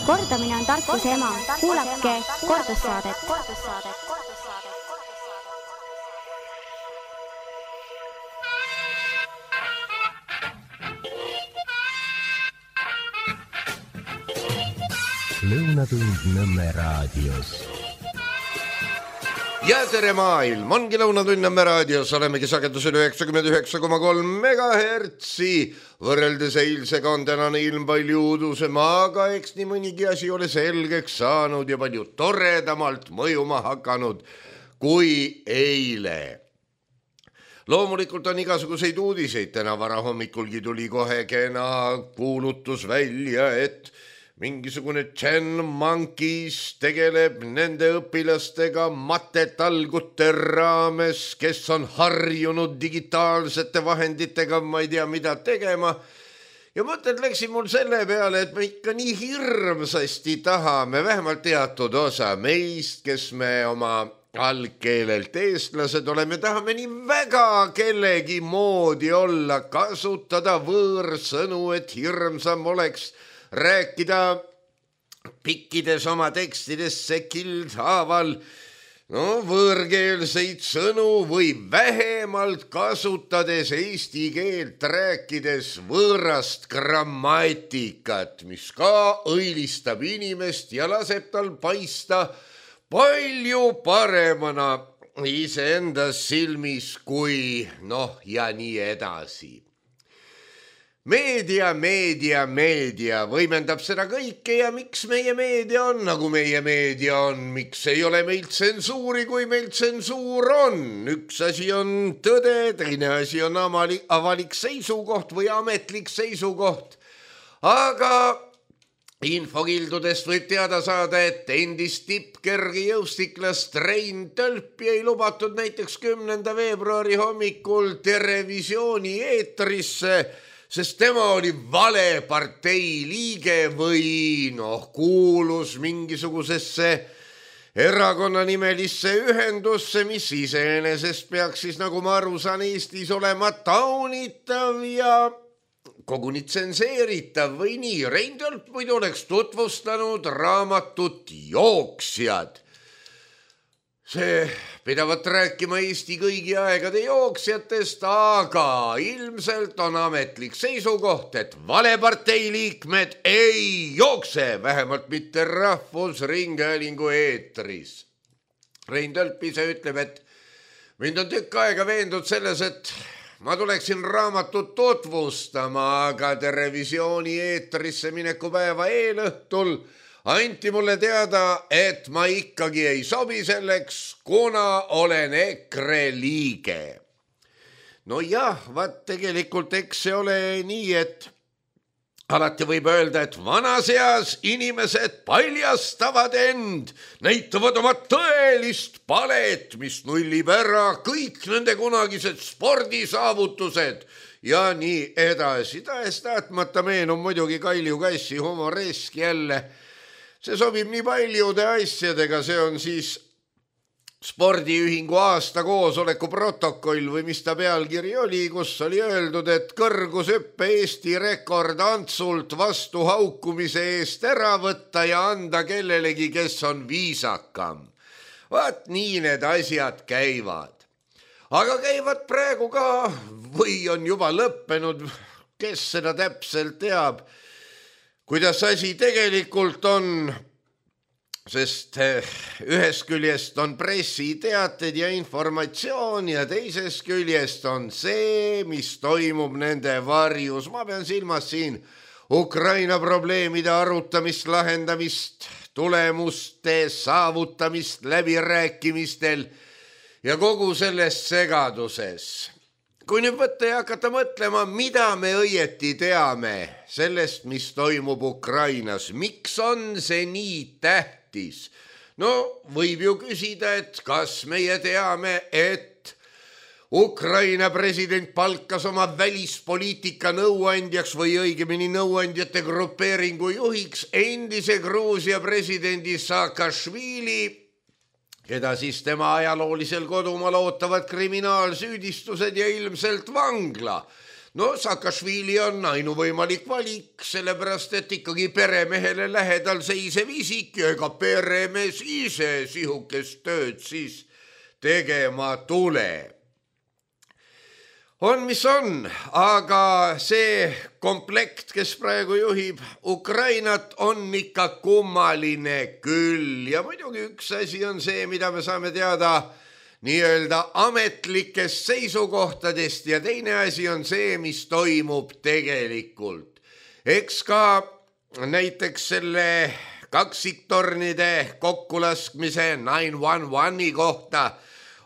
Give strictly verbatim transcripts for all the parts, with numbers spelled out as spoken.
Kordamine on tarkuse ema. Kuulake kordussaadet. Lõunatund Nõmme raadios. Ja tere maailm, ongi Lõunatund Nõmme raadios, olemegi sagedusel üheksakümmend üheksa koma kolm megahertsi. Võrreldes eilsega on tänane ilm palju udusem, aga eks nii mõnigi asi ole selgeks saanud ja palju toredamalt mõjuma hakanud kui eile. Loomulikult on igasuguseid uudiseid, täna vara hommikulgi tuli kohe kena kuulutus välja, et mingisugune Chen Monkeys tegeleb nende õpilastega matetalgute raames, kes on harjunud digitaalsete vahenditega, ma ei tea mida tegema. Ja mõtted läksin mul selle peale, et me ikka nii hirmsasti tahame, vähemalt teatud osa meist, kes me oma algkeelelt eestlased oleme, tahame nii väga kellegi moodi olla, kasutada võõrsõnu, et hirmsam oleks rääkida pikkides oma tekstidesse kildhaaval no, võõrkeelseid sõnu või vähemalt kasutades eesti keelt rääkides võõrast grammatikat, mis ka õilistab inimest ja laseb tal paista palju paremana iseenda silmis kui noh ja nii edasi. Meedia, meedia, meedia võimendab seda kõike ja miks meie meedia on, nagu meie meedia on, miks ei ole meil tsensuuri, kui meil tsensuur on. Üks asi on tõde, teine asi on avalik seisukoht või ametlik seisukoht. Aga infokildudest võib teada saada, et endist tippkergi jõustiklast Rein Tölpi ei lubatud näiteks kümnenda veebruari hommikul Terevisiooni eetrisse, sest tema oli vale partei liige või noh, kuulus mingisugusesse erakonnanimelisse ühendusse, mis iseenesest peaks siis, nagu ma aru saan, Eestis olema taunitav ja koguni tsenseeritav või nii. Rein Tölp muidu oleks tutvustanud raamatut Jooksjad. See pidavat rääkima Eesti kõigi aegade jooksjatest, aga ilmselt on ametlik seisukoht, et valepartei liikmed ei jookse, vähemalt mitte Rahvusringhäälingu eetris. Rein Tölp ise ütleb, et mind on tükk aega veendud selles, et ma tuleksin raamatut tutvustama, aga Terevisiooni eetrisse mineku päeva eelõhtul anti mulle teada, et ma ikkagi ei sobi selleks, kuna olen EKRE liige. No jah, vaat tegelikult eks see ole nii, et alati võib öelda, et vanas eas inimesed paljastavad end, näitavad oma tõelist palet, mis nullib ära kõik nende kunagised spordisaavutused ja nii edasi. Tahes tahtmata meenub muidugi Kalju Kassi humoresk jälle. See sobib nii paljude asjadega, see on siis spordiühingu aasta koosoleku protokoll või mis ta pealkiri oli, kus oli öeldud, et kõrgushüppe Eesti rekord Antsult vastu haukumise eest ära võtta ja anda kellelegi, kes on viisakam. Vaat nii need asjad käivad. Aga käivad praegu ka või on juba lõppenud, kes seda täpselt teab, kuidas asi tegelikult on, sest ühest küljest on pressiteated ja informatsioon ja teisest küljest on see, mis toimub nende varjus. Ma pean silmas siin Ukraina probleemide arutamist, lahendamist, tulemuste saavutamist läbirääkimistel ja kogu selles segaduses. Kui nüüd võtta ja hakata mõtlema, mida me õieti teame sellest, mis toimub Ukrainas, miks on see nii tähtis? No võib ju küsida, et kas meie teame, et Ukraina president palkas oma välispoliitika nõuandjaks või õigemini nõuandjate grupeeringu juhiks endise Gruusia presidendi Saakašvili, keda siis tema ajaloolisel kodumaal ootavad kriminaalsüüdistused ja ilmselt vangla. no Saakašvili on ainuvõimalik valik, sellepärast et ikkagi peremehele lähedal seisev isik ja ega peremees ise sihukest tööd siis tegema tuleb. On, mis on, aga see komplekt, kes praegu juhib Ukrainat, on ikka kummaline küll. Ja muidugi üks asi on see, mida me saame teada nii-öelda ametlikest seisukohtadest ja teine asi on see, mis toimub tegelikult. Eks ka näiteks selle kaksiktornide kokkulaskmise nine one one'i kohta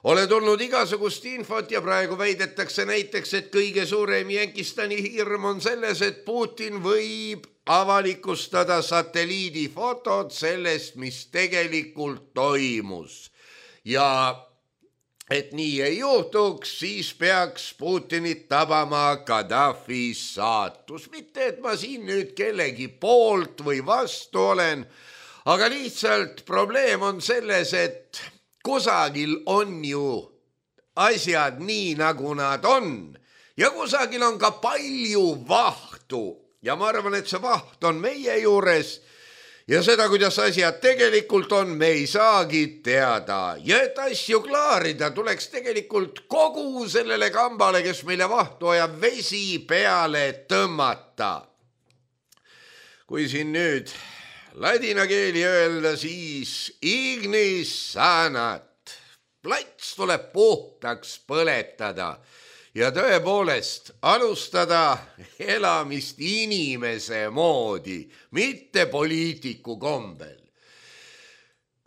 ole tulnud igasugust infot ja praegu väidetakse näiteks, et kõige suurem Jänkistani hirm on selles, et Putin võib avalikustada satelliidifotod sellest, mis tegelikult toimus. Ja et nii ei juhtuks, siis peaks Putinit tabama Gaddafi saatus. Mitte, et ma siin nüüd kellegi poolt või vastu olen, aga lihtsalt probleem on selles, et kusagil on ju asjad nii, nagu nad on ja kusagil on ka palju vahtu ja ma arvan, et see vaht on meie juures ja seda, kuidas asjad tegelikult on, me ei saagi teada ja et asju klaarida, tuleks tegelikult kogu sellele kambale, kes meile vahtu ajab, vesi peale tõmmata. Kui siin nüüd ladina keeli öelda, siis ignis sanat. Plats tuleb puhtaks põletada ja tõepoolest alustada elamist inimese moodi, mitte poliitiku kombel.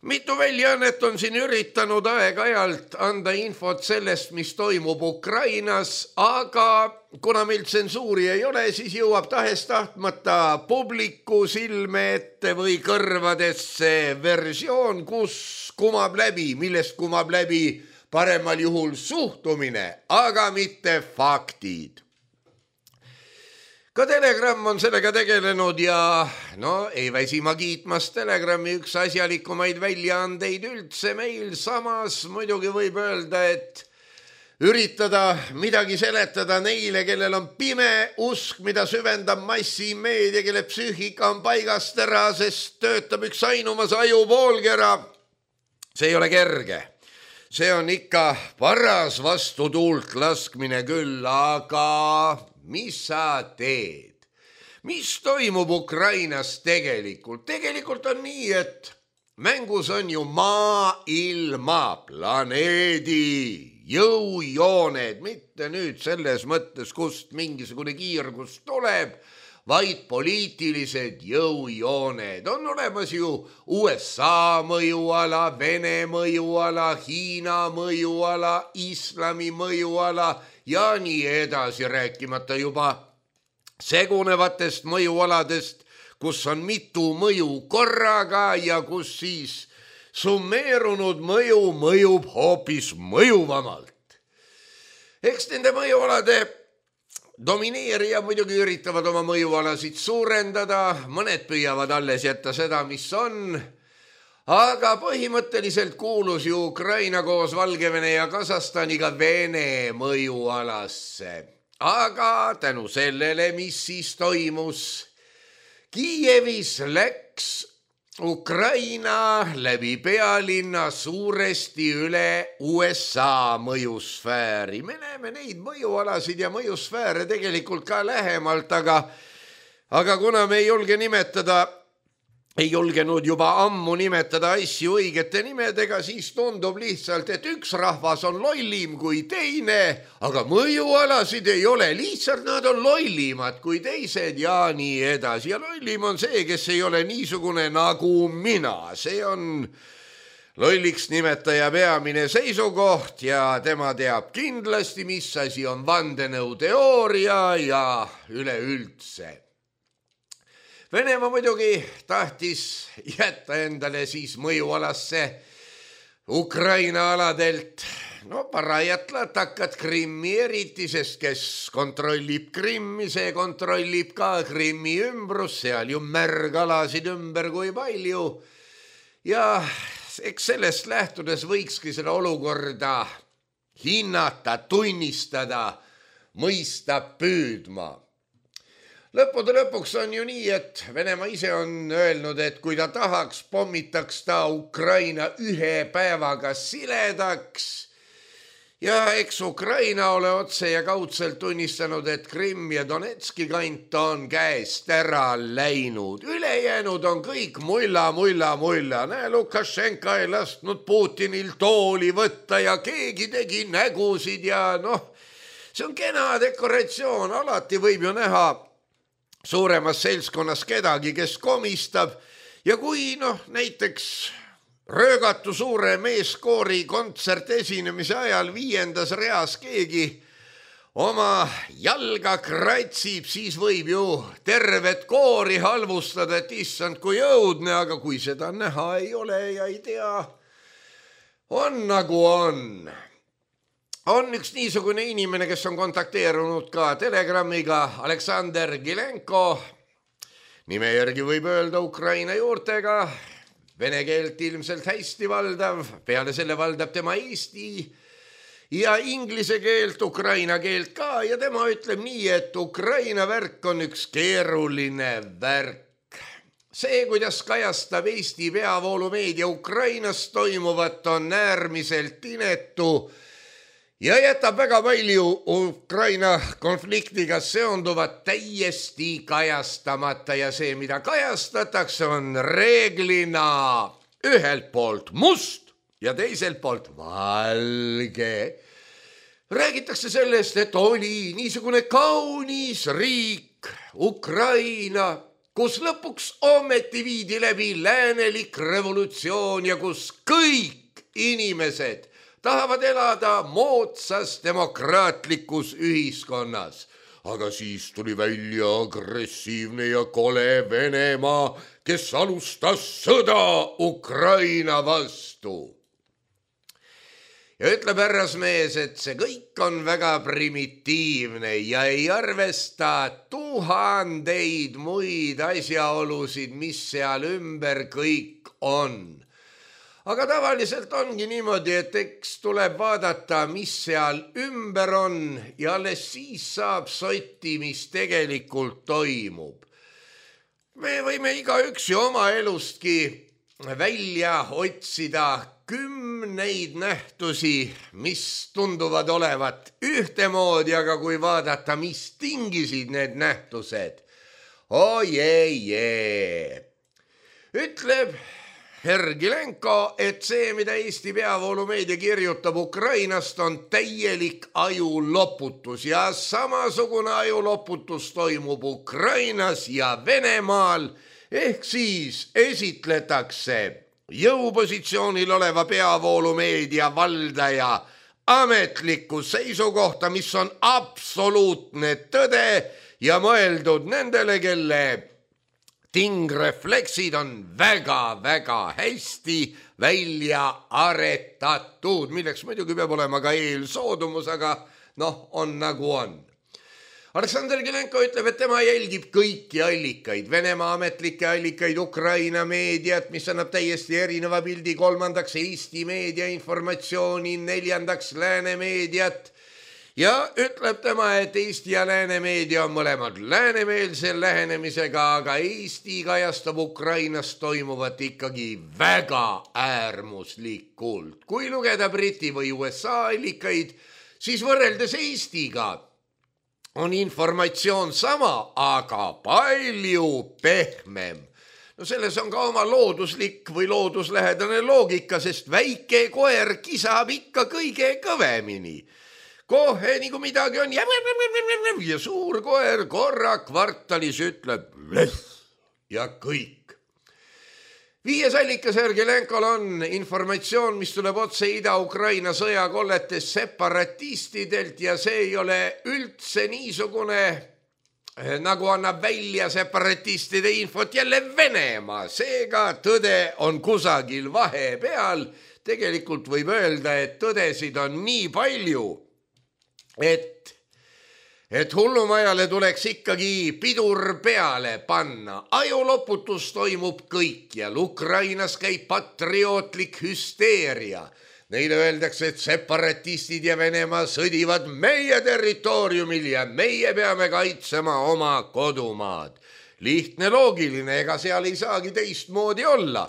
Mitu väljaannet on siin üritanud aeg-ajalt anda infot sellest, mis toimub Ukrainas, aga kuna meil tsensuuri ei ole, siis jõuab tahes tahtmata publiku silme ette või kõrvadesse versioon, kus kumab läbi, millest kumab läbi paremal juhul suhtumine, aga mitte faktid. Ka Telegram on sellega tegelenud ja no ei väsi ma kiitmast Telegrami üks asjalikumaid väljaandeid üldse meil. Samas muidugi võib öelda, et üritada midagi seletada neile, kellel on pime usk, mida süvendab massimeedia, kelle psüühika on paigast ära, sest töötab üks ainumas ajupoolkera. See ei ole kerge. See on ikka paras vastu tuult laskmine küll, aga mis sa teed? Mis toimub Ukrainas tegelikult? Tegelikult on nii, et mängus on ju maailma, planeedi, jõujooned, mitte nüüd selles mõttes, kust mingisugune kiirgus tuleb, vaid poliitilised jõujooned. On olemas ju U S A mõjuala, Vene mõjuala, Hiina mõjuala, islami mõjuala ja nii edasi, rääkimata juba segunevatest mõjualadest, kus on mitu mõju korraga ja kus siis summeerunud mõju mõjub hoopis mõjuvamalt. Eks nende mõjualade domineerija muidugi üritavad oma mõjualasid suurendada, mõned püüavad alles jätta seda, mis on, aga põhimõtteliselt kuulus ju Ukraina koos Valgevene ja Kasahstaniga Vene mõjualasse. Aga tänu sellele, mis siis toimus, Kiievis läks Ukraina läbi pealinna suuresti üle U S A mõjusfääri. Me näeme neid mõjualasid ja mõjusfääre tegelikult ka lähemalt, aga, aga kuna me ei julge nimetada, ei julgenud juba ammu nimetada asju õigete nimedega, siis tundub lihtsalt, et üks rahvas on lollim kui teine, aga mõjualasid ei ole, lihtsalt nad on lollimad kui teised ja nii edasi. Ja lollim on see, kes ei ole niisugune nagu mina. See on lolliks nimetaja peamine seisukoht ja tema teab kindlasti, mis asi on vandenõuteooria ja üleüldse. Venemaa muidugi tahtis jätta endale siis mõjualasse Ukraina aladelt, no parajat latakad Krimmi eriti, sest kes kontrollib Krimmi, see kontrollib ka Krimmi ümbrus, seal ju märgalasid ümber kui palju. Ja eks sellest lähtudes võikski seda olukorda hinnata, tunnistada mõista püüdma. Lõppude lõpuks on ju nii, et Venemaa ise on öelnud, et kui ta tahaks, pommitaks ta Ukraina ühe päevaga siledaks. Ja eks Ukraina ole otse ja kaudselt tunnistanud, et Krimm ja Donetski kant on käest ära läinud. Ülejäänud on kõik mulla, mulla, mulla. Näe, Lukašenka ei lasknud Putinil tooli võtta ja keegi tegi nägusid ja noh, see on kena dekoratsioon. Alati võib ju näha suuremas seltskonnas kedagi, kes komistab ja kui noh, näiteks röögatu suure meeskoori kontsert esinemise ajal viiendas reas keegi oma jalga kratsib, siis võib ju tervet koori halvustada, et issand kui õudne, aga kui seda näha ei ole ja ei tea, on nagu on. On üks niisugune inimene, kes on kontakteerunud ka Telegramiga, Aleksander Gilenko, nime järgi võib öelda Ukraina juurtega, vene keelt ilmselt hästi valdav, peale selle valdab tema eesti ja inglise keelt, ukraina keelt ka ja tema ütleb nii, et Ukraina värk on üks keeruline värk. See, kuidas kajastab Eesti peavoolumeedia Ukrainas toimuvat, on äärmiselt inetu ja jätab väga palju Ukraina konfliktiga seonduvat täiesti kajastamata ja see, mida kajastatakse, on reeglina ühelt poolt must ja teiselt poolt valge. Räägitakse sellest, et oli niisugune kaunis riik Ukraina, kus lõpuks ometi viidi läbi läänelik revolutsioon ja kus kõik inimesed tahavad elada moodsas demokraatlikus ühiskonnas. Aga siis tuli välja agressiivne ja kole Venemaa, kes alustas sõda Ukraina vastu. Ja ütleb härrasmees, et see kõik on väga primitiivne ja ei arvesta tuhandeid muid asjaolusid, mis seal ümber kõik on. Aga tavaliselt ongi niimoodi, et eks tuleb vaadata, mis seal ümber on ja alles siis saab sotti, mis tegelikult toimub. Me võime igaüks ju oma elustki välja otsida kümneid nähtusi, mis tunduvad olevat ühtemoodi, aga kui vaadata, mis tingisid need nähtused, oi ei jee, ütleb Herr Gilenko, et see, mida Eesti peavoolumeedia kirjutab Ukrainast, on täielik ajuloputus ja samasugune ajuloputus toimub Ukrainas ja Venemaal, ehk siis esitletakse jõupositsioonil oleva peavoolumeedia valdaja ametlikku seisukohta, mis on absoluutne tõde ja mõeldud nendele, kelle tingrefleksid on väga-väga hästi välja aretatud, milleks muidugi peab olema ka eelsoodumus, aga noh, on nagu on. Aleksander Gilenko ütleb, et tema jälgib kõiki allikaid, Venemaa ametlikke allikaid, Ukraina meediat, mis annab täiesti erineva pildi, kolmandaks Eesti meedia informatsiooni, neljandaks lääne meediat. Ja ütleb tema, et Eesti ja lääne meedia on mõlemad läänemeelsel lähenemisega, aga Eesti kajastab Ukrainas toimuvat ikkagi väga äärmuslikult. Kui lugeda Briti või U S A allikaid, siis võrreldes Eestiga on informatsioon sama, aga palju pehmem. No selles on ka oma looduslik või looduslähedane loogika, sest väike koer kisab ikka kõige kõvemini. Kohe nii kui midagi on ja suur koer korra kvartalis ütleb ja kõik. Viies allikas Herr Gilenkol on informatsioon, mis tuleb otse Ida-Ukraina sõjakolletes separatistidelt ja see ei ole üldse niisugune, nagu annab välja separatistide infot jälle Venemaa. Seega tõde on kusagil vahepeal. Tegelikult võib öelda, et tõdesid on nii palju, et, et hullumajale tuleks ikkagi pidur peale panna. Ajuloputus toimub kõikjal. Ukrainas käib patriootlik hüsteeria. Neile öeldakse, et separatistid ja Venemaa sõdivad meie territooriumil ja meie peame kaitsema oma kodumaad. Lihtne, loogiline, ega seal ei saagi teistmoodi olla,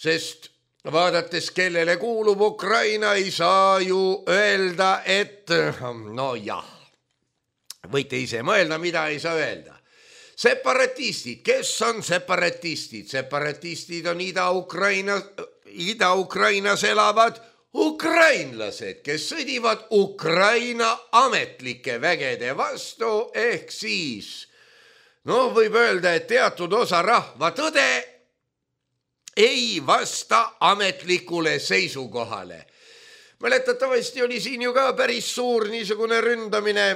sest vaadates, kellele kuulub Ukraina, ei saa ju öelda, et no jah, võite ise mõelda, mida ei saa öelda. Separatistid, kes on separatistid? Separatistid on Ida-Ukraina, Ida-Ukrainas elavad ukrainlased, kes sõdivad Ukraina ametlike vägede vastu, ehk siis no võib öelda, et teatud osa rahva tõde ei vasta ametlikule seisukohale. Mäletatavasti oli siin ju ka päris suur niisugune ründamine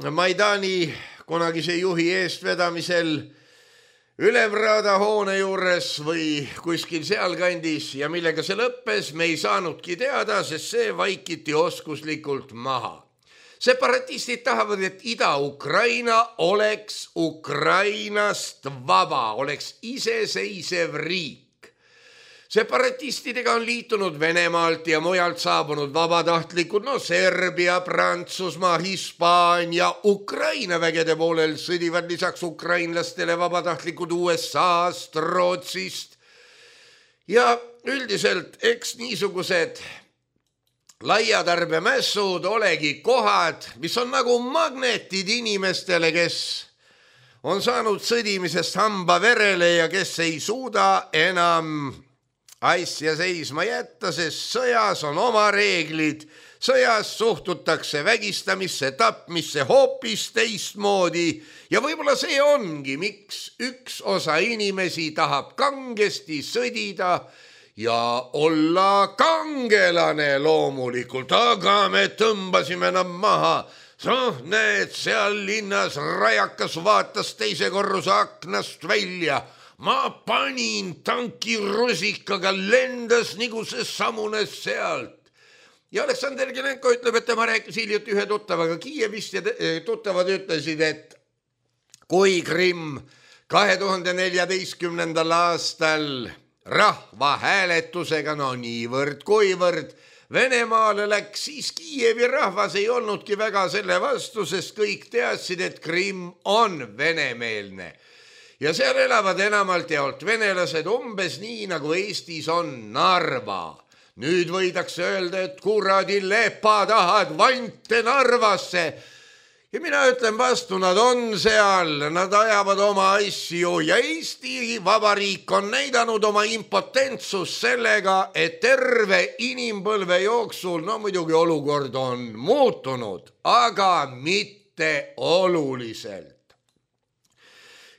Maidani kunagise juhi eestvedamisel Ülemraada hoone juures või kuskil sealkandis ja millega see lõppes, me ei saanudki teada, sest see vaikiti oskuslikult maha. Separatistid tahavad, et Ida-Ukraina oleks Ukrainast vaba, oleks iseseisev riik. Separatistidega on liitunud Venemaalt ja mujalt saabunud vabatahtlikud, no Serbia, Prantsusmaa, Hispaania, Ukraina vägede poolel sõdivad lisaks ukrainlastele vabatahtlikud U S A-st, Rootsist. Ja üldiselt eks niisugused laiatarbemässud olegi kohad, mis on nagu magnetid inimestele, kes on saanud sõdimisest hamba verele ja kes ei suuda enam asja seisma jätta, sest sõjas on oma reeglid. Sõjas suhtutakse vägistamisse, tapmisse hoopis teistmoodi ja võib-olla see ongi, miks üks osa inimesi tahab kangesti sõdida ja olla kangelane loomulikult, aga me tõmbasime nad maha. Noh, need seal linnas rajakas vaatas teise korruse aknast välja. Ma panin tanki rusikaga, lendas nagu see samunes sealt. Ja Aleksander Gelenko ütleb, et tema rääkis hiljuti ühe tuttavaga Kiievist ja tuttavad ütlesid, et kui Krimm kahe tuhande neljateistkümnendal aastal rahva hääletusega, no niivõrd kuivõrd Venemaale läks, siis Kiievi rahvas ei olnudki väga selle vastu, sest kõik teadsid, et Krimm on venemeelne. Ja seal elavad enamalt jaolt venelased umbes nii, nagu Eestis on Narva. Nüüd võidakse öelda, et kuradi lepatahad vante Narvasse. Ja mina ütlen vastu, nad on seal, nad ajavad oma asju ja Eesti Vabariik on näidanud oma impotentsust sellega, et terve inimpõlve jooksul, no muidugi olukord on muutunud, aga mitte oluliselt.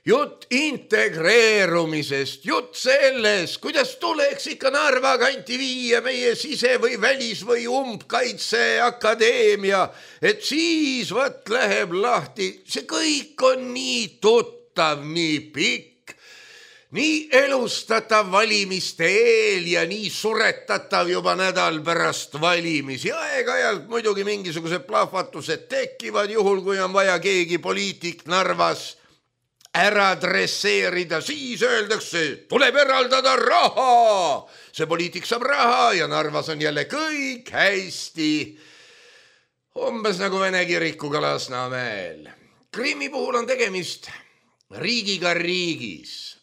Jutt integreerumisest, jutt selles, kuidas tuleks ikka Narva kanti viia meie sise- või välis- või umbkaitseakadeemia, et siis võt läheb lahti. See kõik on nii tuttav, nii pikk, nii elustatav valimiste eel ja nii suretatav juba nädal pärast valimisi. Aeg-ajalt muidugi mingisugused plahvatused tekivad, juhul kui on vaja keegi poliitik Narvas ära dresseerida, siis öeldakse, tuleb eraldada raha. See poliitik saab raha ja Narvas on jälle kõik hästi. Umbes nagu Vene kirikuga Lasnamäel. Krimmi puhul on tegemist riigiga riigis.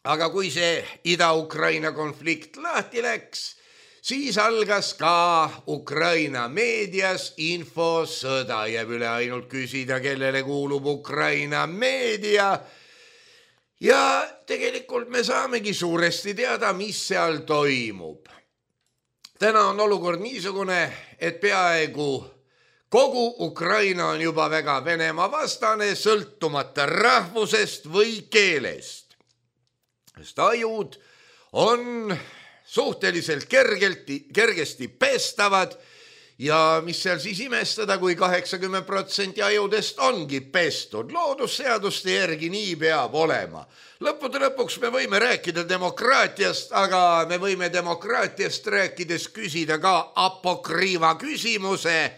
Aga kui see Ida-Ukraina konflikt lahti läks, siis algas ka Ukraina meedias infosõda. Jääb üle ainult küsida, kellele kuulub Ukraina meedia. Ja tegelikult me saamegi suuresti teada, mis seal toimub. Täna on olukord niisugune, et peaaegu kogu Ukraina on juba väga Venemaa vastane, sõltumata rahvusest või keelest. Sest ajud on suhteliselt kergelti, kergesti pestavad ja mis seal siis imestada, kui kaheksakümmend protsenti ajudest ongi pestud. Loodusseaduste järgi nii peab olema. Lõppude lõpuks me võime rääkida demokraatiast, aga me võime demokraatiast rääkides küsida ka apokriiva küsimuse,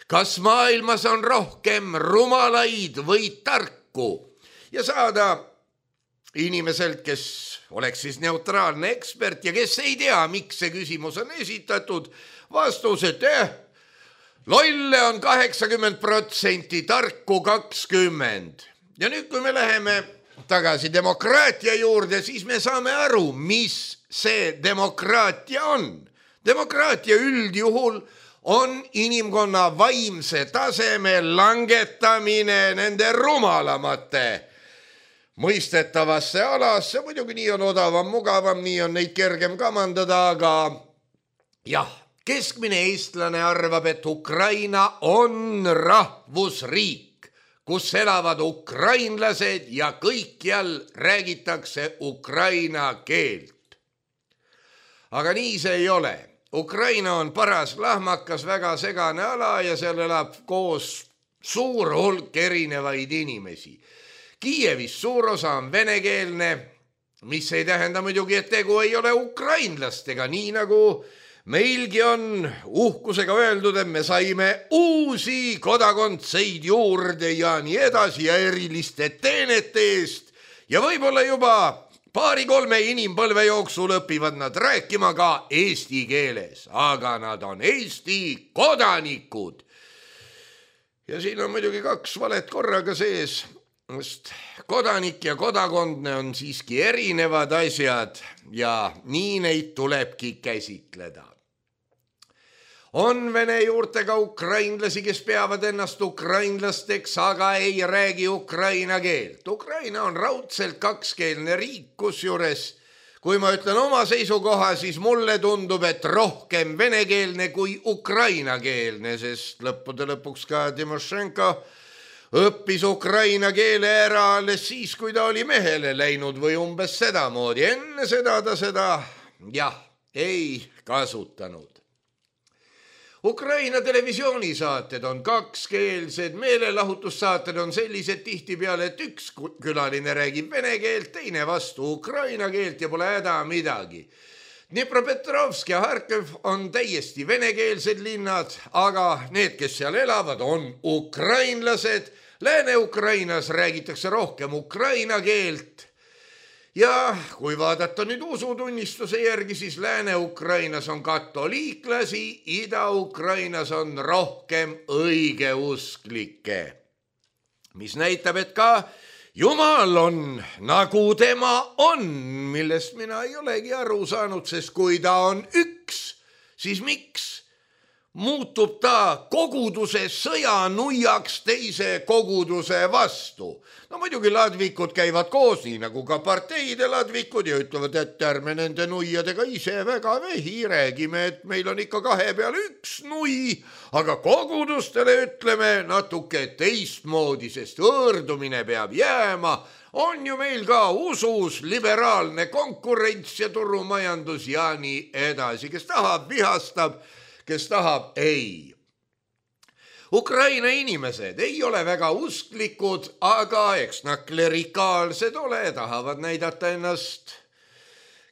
kas maailmas on rohkem rumalaid või tarku ja saada inimeselt, kes oleks siis neutraalne ekspert ja kes ei tea, miks see küsimus on esitatud, vastus, et eh, lolle on kaheksakümmend protsenti, tarku kakskümmend. Ja nüüd, kui me läheme tagasi demokraatia juurde, siis me saame aru, mis see demokraatia on. Demokraatia üldjuhul on inimkonna vaimse taseme langetamine nende rumalamate mõistetavasse alasse. Muidugi nii on odavam, mugavam, nii on neid kergem kamandada, aga jah, keskmine eestlane arvab, et Ukraina on rahvusriik, kus elavad ukrainlased ja kõikjal räägitakse ukraina keelt. Aga nii see ei ole. Ukraina on paras lahmakas, väga segane ala ja seal elab koos suur hulk erinevaid inimesi. Kiievis suur osa on venekeelne, mis ei tähenda muidugi, et tegu ei ole ukrainlastega, nii nagu meilgi on uhkusega öeldud, et me saime uusi kodakondseid juurde ja nii edasi ja eriliste teenete eest ja võib-olla juba paari-kolme inimpõlve jooksul õpivad nad rääkima ka eesti keeles, aga nad on Eesti kodanikud. Ja siin on muidugi kaks valet korraga sees, sest kodanik ja kodakondne on siiski erinevad asjad ja nii neid tulebki käsitleda. On vene juurtega ukrainlasi, kes peavad ennast ukrainlasteks, aga ei räägi ukraina keelt. Ukraina on raudselt kakskeelne riik, kusjuures, kui ma ütlen oma seisukoha, siis mulle tundub, et rohkem venekeelne kui ukrainakeelne, sest lõppude lõpuks ka Timošenko õppis ukraina keele ära alles siis, kui ta oli mehele läinud või umbes sedamoodi. Enne seda ta seda, jah, ei kasutanud. Ukraina televisioonisaated on kakskeelsed, meelelahutussaated on sellised tihtipeale, et üks külaline räägib vene keelt, teine vastu ukraina keelt ja pole häda midagi. Dnipropetrovsk ja Harkov on täiesti venekeelsed linnad, aga need, kes seal elavad, on ukrainlased. Lääne-Ukrainas räägitakse rohkem ukraina keelt. Ja kui vaadata nüüd usutunnistuse järgi, siis Lääne-Ukrainas on katoliiklasi, Ida-Ukrainas on rohkem õigeusklikke. Mis näitab, et ka Jumal on nagu tema on, millest mina ei olegi aru saanud, sest kui ta on üks, siis miks muutub ta koguduse sõjanuiaks teise koguduse vastu? No muidugi ladvikud käivad koos, nii nagu ka parteide ladvikud ja ütlevad, et ärme nende nuiadega ise väga vehi räägime, et meil on ikka kahe peale üks nui, aga kogudustele ütleme natuke teistmoodi, sest võõrdumine peab jääma. On ju meil ka usus liberaalne konkurents ja turumajandus ja nii edasi, kes tahab, vihastab, kes tahab, ei. Ukraina inimesed ei ole väga usklikud, aga eks nad klerikaalsed ole, tahavad näidata ennast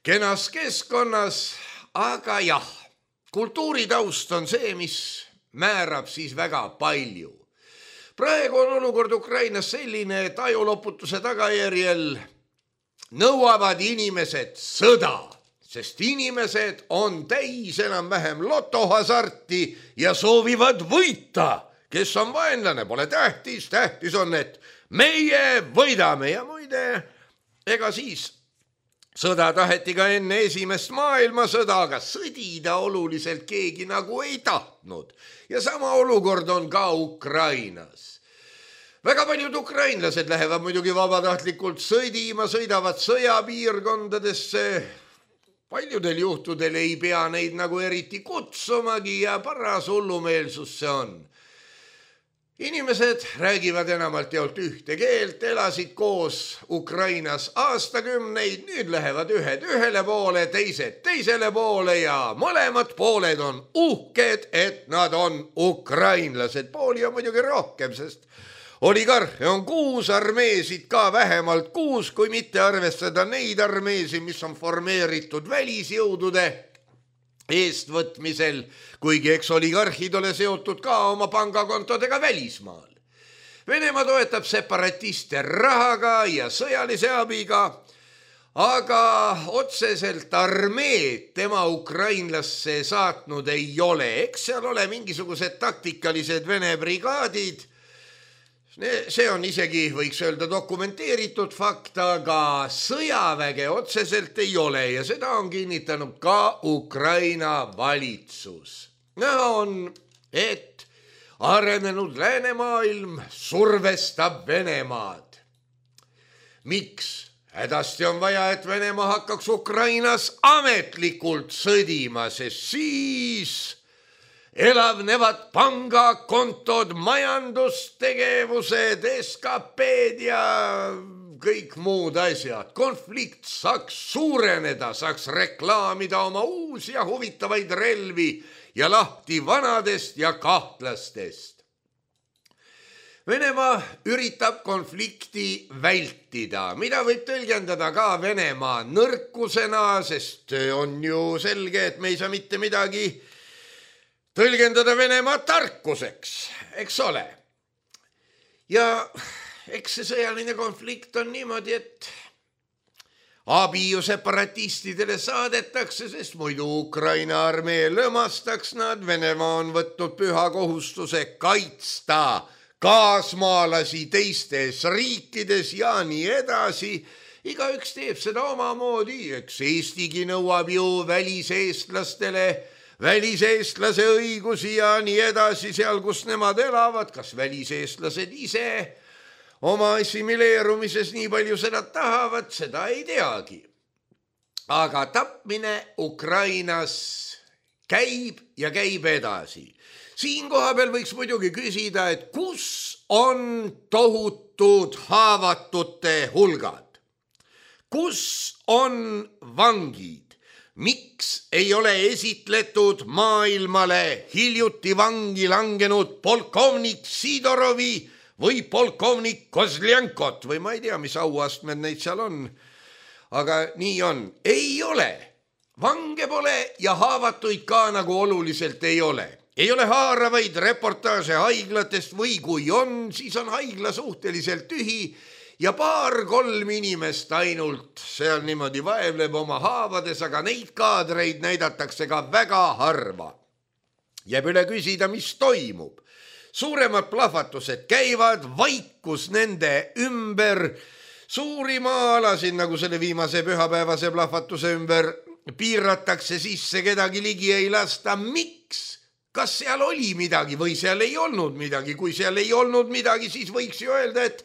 kenas keskkonnas, aga jah, kultuuritaust on see, mis määrab siis väga palju. Praegu on olukord Ukrainas selline, et ajuloputuse tagajärjel nõuavad inimesed sõda, sest inimesed on täis enam-vähem lotohasarti ja soovivad võita. Kes on vaenlane, pole tähtis, tähtis on, et meie võidame ja muide, ega siis sõda taheti ka enne esimest maailmasõda, aga sõdida oluliselt keegi nagu ei tahtnud. Ja sama olukord on ka Ukrainas. Väga paljud ukrainlased lähevad muidugi vabatahtlikult sõdima, sõidavad sõjapiirkondadesse. Paljudel juhtudel ei pea neid nagu eriti kutsumagi ja paras hullumeelsus see on. Inimesed räägivad enamalt jaolt ühte keelt, elasid koos Ukrainas aastakümneid, nüüd lähevad ühed ühele poole, teised teisele poole ja mõlemad pooled on uhked, et nad on ukrainlased. Pooli on muidugi rohkem, sest oligarhe on kuus, armeesid ka vähemalt kuus, kui mitte arvestada neid armeesi, mis on formeeritud välisjõudude eestvõtmisel, kuigi eks oligarhid ole seotud ka oma pangakontodega välismaal. Venemaa toetab separatiste rahaga ja sõjalise abiga, aga otseselt armeed tema ukrainlasse saatnud ei ole. Eks seal ole mingisugused taktikalised Vene brigaadid. See on isegi, võiks öelda, dokumenteeritud fakt, aga sõjaväge otseselt ei ole ja seda on kinnitanud ka Ukraina valitsus. Näha on, et arenenud läänemaailm survestab Venemaad. Miks? Hädasti on vaja, et Venemaa hakkaks Ukrainas ametlikult sõdima, sest siis elavnevad pangakontod, majandustegevused, S K P-d ja kõik muud asjad. Konflikt saaks suureneda, saaks reklaamida oma uusi ja huvitavaid relvi ja lahti vanadest ja kahtlastest. Venemaa üritab konflikti vältida, mida võib tõlgendada ka Venemaa nõrkusena, sest on ju selge, et me ei saa mitte midagi tõlgendada Venemaa tarkuseks, eks ole. Ja eks see sõjaline konflikt on niimoodi, et abi ju separatistidele saadetakse, sest muidu Ukraina armee lõmastaks nad. Venemaa on võtnud püha kohustuse kaitsta kaasmaalasi teistes riikides ja nii edasi. Igaüks teeb seda omamoodi, eks Eestigi nõuab ju väliseestlastele väliseestlase õigusi ja nii edasi seal, kus nemad elavad. Kas väliseestlased ise oma assimileerumises nii palju seda tahavad, seda ei teagi. Aga tapmine Ukrainas käib ja käib edasi. Siin koha peal võiks muidugi küsida, et kus on tohutud haavatute hulgad? Kus on vangid? Miks ei ole esitletud maailmale hiljuti vangi langenud polkovnik Sidorovi või polkovnik Kozljankot või ma ei tea, mis auastmed neid seal on. Aga nii on. Ei ole. Vange pole ja haavatuid ka nagu oluliselt ei ole. Ei ole haaravaid reportaaže haiglatest või kui on, siis on haigla suhteliselt tühi ja paar-kolm inimest ainult seal niimoodi vaevleb oma haavades, aga neid kaadreid näidatakse ka väga harva. Jääb üle küsida, mis toimub. Suuremad plahvatused käivad, vaikus nende ümber, suuri maa-alasid, nagu selle viimase pühapäevase plahvatuse ümber, piiratakse sisse, kedagi ligi ei lasta. Miks? Kas seal oli midagi või seal ei olnud midagi? Kui seal ei olnud midagi, siis võiks ju öelda, et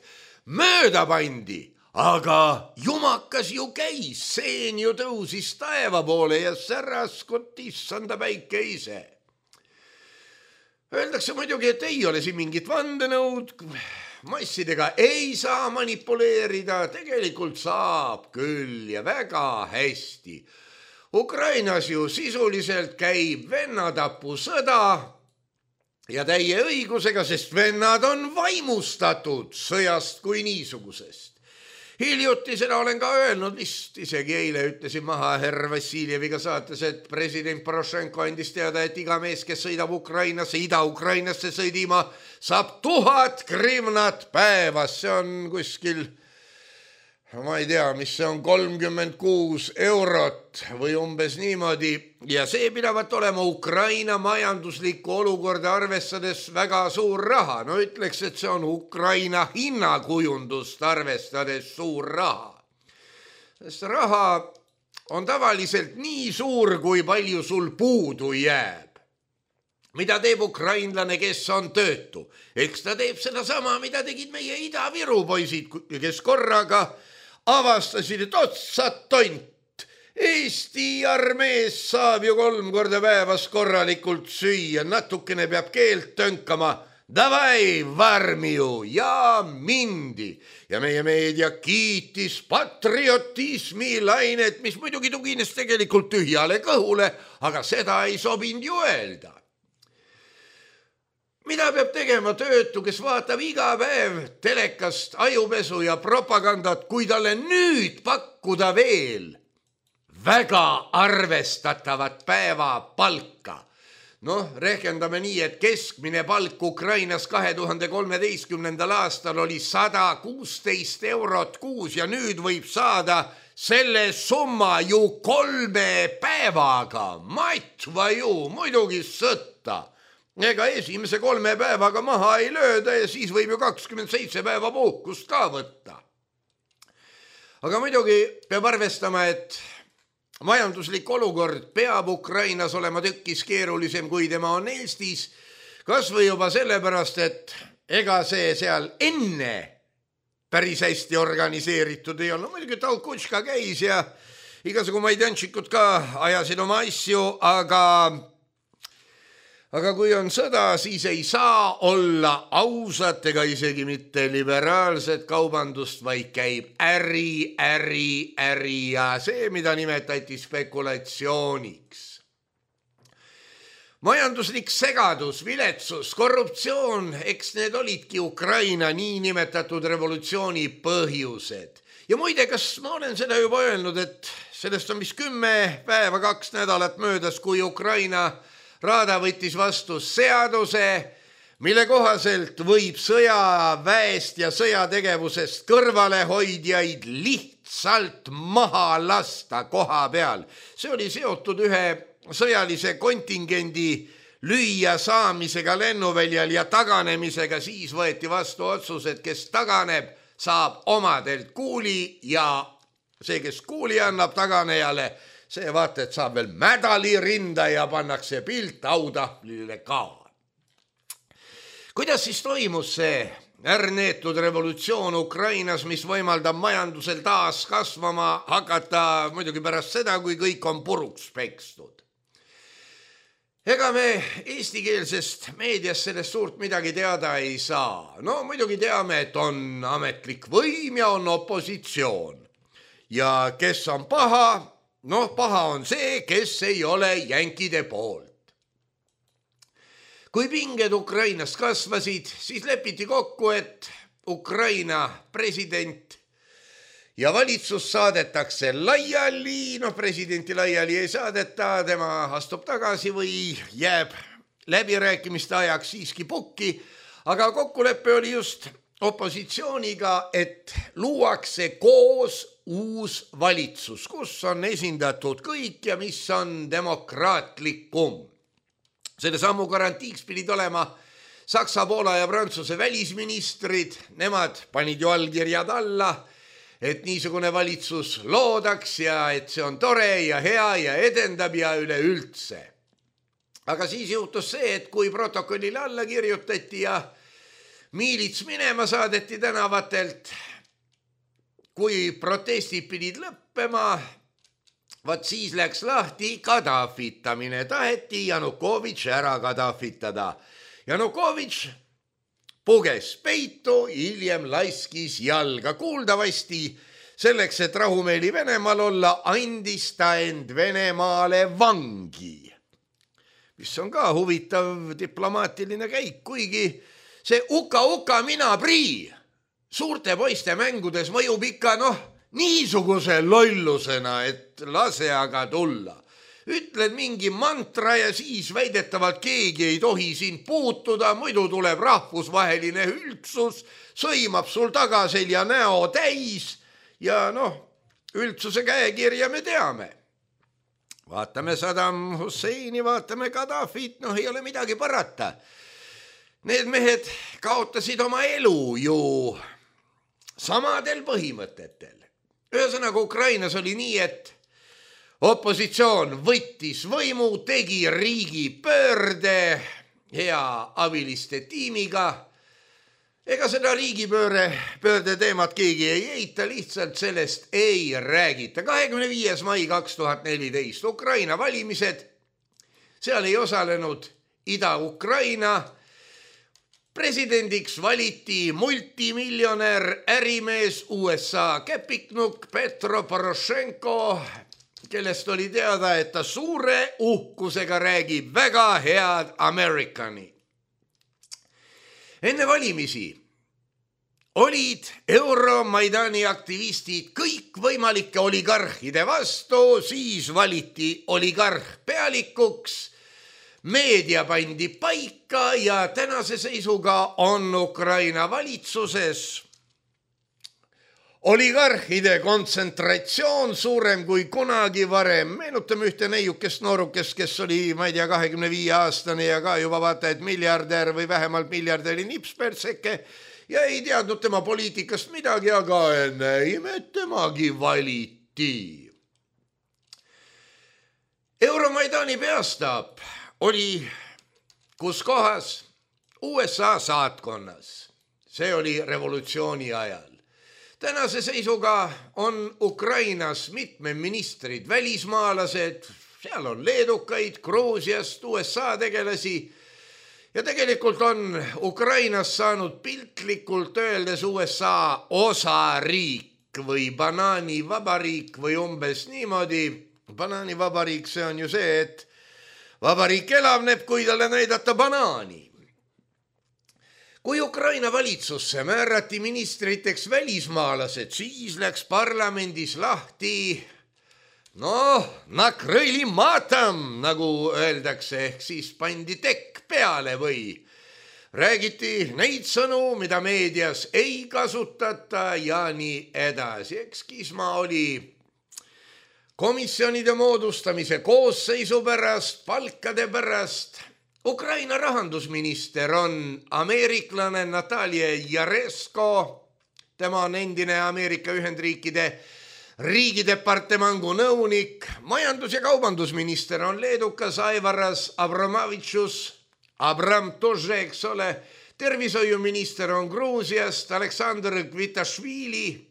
mööda pandi, aga jumakas ju käis, seen ju tõusis taeva poole ja säraskot issanda päike ise. Öeldakse muidugi, et ei ole siin mingit vandenõud, massidega ei saa manipuleerida, tegelikult saab küll ja väga hästi. Ukrainas ju sisuliselt käib vennatapu sõda ja täie õigusega, sest vennad on vaimustatud sõjast kui niisugusest. Hiljuti seda olen ka öelnud, vist isegi eile ütlesin maha herr Vassiljeviga saates, et president Porošenko andis teada, et iga mees, kes sõidab Ukrainasse, Ida-Ukrainasse sõdima, saab tuhat grivnat päevas. See on kuskil, ma ei tea, mis see on, kolmkümmend kuus eurot või umbes niimoodi. Ja see pidavat olema Ukraina majanduslikku olukorda arvestades väga suur raha. No ütleks, et see on Ukraina hinnakujundust arvestades suur raha. Sest raha on tavaliselt nii suur, kui palju sul puudu jääb. Mida teeb ukrainlane, kes on töötu? Eks ta teeb seda sama, mida tegid meie Ida-Viru poisid, kes korraga avastasid, et otsad tont. Eesti armees saab ju kolm korda päevas korralikult süüa, natukene peab keelt tönkama. Davai, varmiju ja mindi. Ja meie meedia kiitis patriotismi lainet, mis muidugi tugines tegelikult tühjale kõhule, aga seda ei sobinud ju öelda. Mida peab tegema töötu, kes vaatab iga päev telekast ajupesu ja propagandat, kui talle nüüd pakkuda veel väga arvestatavat päeva palka? noh, rehkendame nii, et keskmine palk Ukrainas kahe tuhande kolmeteistkümnendal aastal oli sada kuusteist eurot kuus ja nüüd võib saada selle summa ju kolme päevaga. Matva ju, muidugi sõtta. Ega esimese kolme päevaga maha ei lööda ja siis võib ju kakskümmend seitse päeva puhkust ka võtta. Aga muidugi peab arvestama, et majanduslik olukord peab Ukrainas olema tükkis keerulisem, kui tema on Eestis, kas või juba sellepärast, et ega see seal enne päris hästi organiseeritud ei olnud. Muidugi Talkutška käis ja igasugu maidanšikud ka ajasid oma asju, aga Aga kui on sõda, siis ei saa olla ausat ega isegi mitte liberaalset kaubandust, vaid käib äri, äri, äri ja see, mida nimetati spekulatsiooniks. Majanduslik segadus, viletsus, korruptsioon, eks need olidki Ukraina niinimetatud revolutsiooni põhjused. Ja muide, kas ma olen seda juba öelnud, et sellest on vist kümme päeva, kaks nädalat möödas, kui Ukraina Raada võttis vastu seaduse, mille kohaselt võib sõjaväest ja sõjategevusest kõrvalehoidjaid lihtsalt maha lasta koha peal. See oli seotud ühe sõjalise kontingendi lüüa saamisega lennuväljal ja taganemisega. Siis võeti vastu otsus, et kes taganeb, saab omadelt kuuli ja see, kes kuuli annab taganejale, see vaata, et saab veel mädali rinda ja pannakse pilt autahvlile ka. Kuidas siis toimus see ärneetud revolutsioon Ukrainas, mis võimaldab majandusel taas kasvama hakata muidugi pärast seda, kui kõik on puruks pekstud? Ega me eestikeelsest meediast sellest suurt midagi teada ei saa. No muidugi teame, et on ametlik võim ja on opositsioon. Ja kes on paha? Noh, paha on see, kes ei ole jänkide poolt. Kui pinged Ukrainas kasvasid, siis lepiti kokku, et Ukraina president ja valitsus saadetakse laiali. No presidenti laiali ei saadeta, tema astub tagasi või jääb läbirääkimiste ajaks siiski pukki. Aga kokkulepe oli just opositsiooniga, et luuakse koos uus valitsus, kus on esindatud kõik ja mis on demokraatlikum. Selle sammu garantiiks pidid olema Saksa, Poola ja Prantsuse välisministrid. Nemad panid ju allkirjad alla, et niisugune valitsus loodaks ja et see on tore ja hea ja edendab ja üleüldse. Aga siis juhtus see, et kui protokollile alla kirjutati ja miilits minema saadeti tänavatelt, kui protestid pidid lõppema, vaat siis läks lahti Kadafitamine. Taheti Janukovitš ära kadafitada. Janukovitš puges peitu, hiljem laskis jalga. Kuuldavasti selleks, et rahumeeli Venemaal olla, andis ta end Venemaale vangi. Mis on ka huvitav diplomaatiline käik, kuigi see uka-uka mina prii suurte poiste mängudes mõjub ikka noh, niisuguse lollusena, et lase aga tulla. Ütled mingi mantra ja siis väidetavalt keegi ei tohi sind puutuda, muidu tuleb rahvusvaheline üldsus, sõimab sul tagaselja näo täis ja noh, üldsuse käekirja me teame. Vaatame Saddam Husseini, vaatame Gaddafit, noh ei ole midagi parata. Need mehed kaotasid oma elu ju samadel põhimõtetel. Ühesõnaga Ukrainas oli nii, et opositsioon võttis võimu, tegi riigi pöörde hea abiliste tiimiga. Ega seda riigipööre pöörde teemat keegi ei eita, lihtsalt sellest ei räägita. kahekümne viies mai kaks tuhat neliteist Ukraina valimised, seal ei osalenud Ida-Ukraina. Presidendiks valiti multimiljonär ärimees U S A käpiknuk Petro Poroshenko, kellest oli teada, et ta suure uhkusega räägib väga head Amerikani. Enne valimisi olid Euromaidani aktivistid kõik võimalike oligarhide vastu, siis valiti oligarh pealikuks. meedia pandi paika ja tänase seisuga on Ukraina valitsuses oligarhide kontsentratsioon suurem kui kunagi varem. Meenutame ühte neiukest noorukest, kes oli, ma ei tea, kahekümne viie aastane ja ka juba vaata, et miljardär või vähemalt miljardäri nipspertseke ja ei teadnud tema poliitikast midagi, aga näime, et temagi valiti. Euromaidani peastaap oli kus kohas? U S A saatkonnas. See oli revolutsiooni ajal. Tänase seisuga on Ukrainas mitme ministrid välismaalased, seal on leedukaid, Gruusiast, U S A tegelasi ja tegelikult on Ukrainas saanud piltlikult öeldes U S A osariik või banaanivabariik või umbes niimoodi. Banaanivabariik, see on ju see, et vabariik elavneb, kui talle näidata banaani. Kui Ukraina valitsusse määrati ministriteks välismaalased, siis läks parlamendis lahti, noh, nakrõili matam, nagu öeldakse, ehk siis pandi tekk peale või räägiti neid sõnu, mida meedias ei kasutata ja nii edasi. Eks kisma oli komisjonide moodustamise koosseisu pärast, palkade pärast. Ukraina rahandusminister on ameeriklane Natalia Jaresko, tema on endine Ameerika Ühendriikide riigidepartemangu nõunik, majandus- ja kaubandusminister on leedukas Aivaras Abramovitšus, Abram Tože, eks ole, tervishoiuminister on Gruusiast Aleksandr Kvitašvili.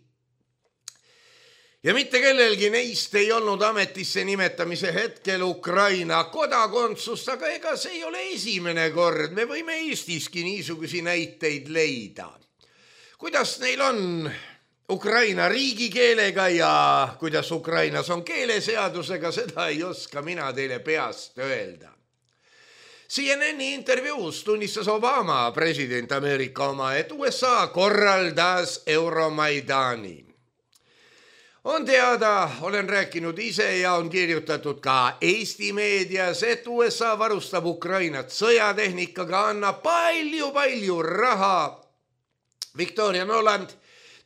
Ja mitte kellelgi neist ei olnud ametisse nimetamise hetkel Ukraina kodakondsust, aga ega see ei ole esimene kord. Me võime Eestiski niisugusi näiteid leida. Kuidas neil on Ukraina riigikeelega ja kuidas Ukrainas on keeleseadusega, seda ei oska mina teile peast öelda. C N N-i intervjuus tunnistas Obama, president Ameerika oma, et U S A korraldas Euromaidani. On teada, olen rääkinud ise ja on kirjutatud ka Eesti meedias, et U S A varustab Ukrainat sõjatehnikaga, annab palju-palju raha. Victoria Noland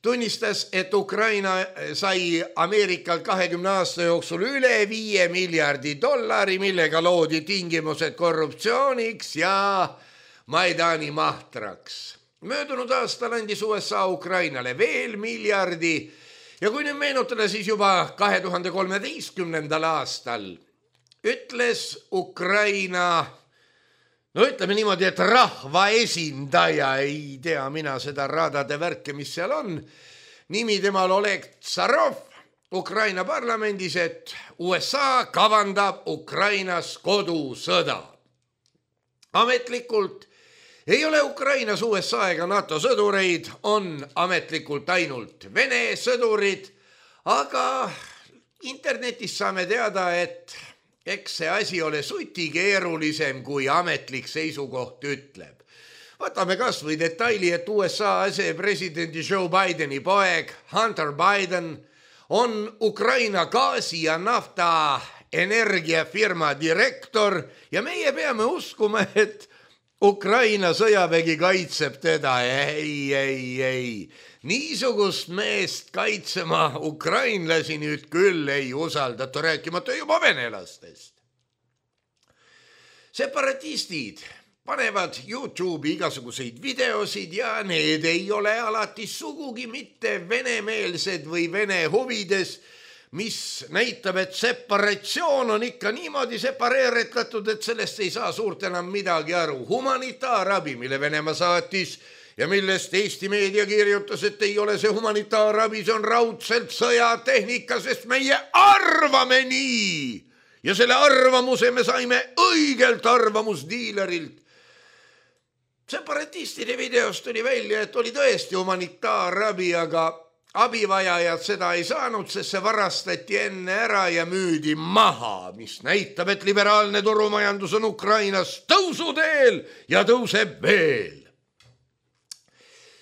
tunnistas, et Ukraina sai Ameerikal kahekümne aasta jooksul üle viie miljardi dollari, millega loodi tingimused korruptsiooniks ja Maidani mahtraks. Möödunud aastal andis U S A Ukrainale veel miljardi. Ja kui nüüd meenutada, siis juba kahe tuhande kolmeteistkümnendal aastal ütles Ukraina, no ütleme niimoodi, et rahva esindaja, ei tea mina seda radade värke, mis seal on, nimi temal Oleg Tsarov Ukraina parlamendis, et U S A kavandab Ukrainas kodusõda. Ametlikult ei ole Ukrainas U S A ega NATO sõdureid, on ametlikult ainult Vene sõdurid, aga internetis saame teada, et eks see asi ole suti keerulisem, kui ametlik seisukoht ütleb. Võtame kas või detaili, et U S A asepresidendi Joe Bideni poeg Hunter Biden on Ukraina gaasi ja nafta energiafirma direktor ja meie peame uskuma, et Ukraina sõjavägi kaitseb teda. Ei, ei, ei. Niisugust meest kaitsema ukrainlasi nüüd küll ei usaldata, rääkimata juba venelastest. Separatistid panevad YouTube'i igasuguseid videosid ja need ei ole alati sugugi mitte venemeelsed või vene huvides, mis näitab, et separatsioon on ikka niimoodi separeeretatud, et sellest ei saa suurt enam midagi aru. Humanitaarabi, mille Venemaa saatis ja millest Eesti meedia kirjutas, et ei ole see humanitaarabi, see on raudselt sõjatehnika, sest meie arvame nii. Ja selle arvamuse me saime õigelt arvamusdiilerilt. Separatistide videost tuli välja, et oli tõesti humanitaarabi, aga abivajajad seda ei saanud, sest see varastati enne ära ja müüdi maha, mis näitab, et liberaalne turumajandus on Ukrainas tõusuteel ja tõuseb veel.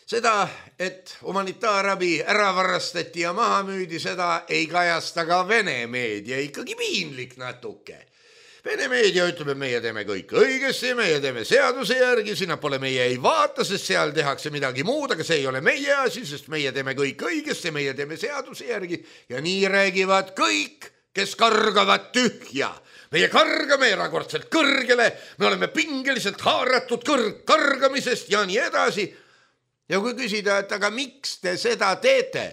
Seda, et humanitaarabi ära varastati ja maha müüdi, seda ei kajasta ka Vene meedia, ikkagi piinlik natuke. Vene meedia ütleb, et meie teeme kõik õigesti, meie teeme seaduse järgi, sinna pole meie ei vaata, sest seal tehakse midagi muud, aga see ei ole meie asi, sest meie teeme kõik õigesti, meie teeme seaduse järgi ja nii räägivad kõik, kes kargavad tühja. Meie kargame erakordselt kõrgele, me oleme pingeliselt haaratud kõrg kargamisest ja nii edasi. Ja kui küsida, et aga miks te seda teete?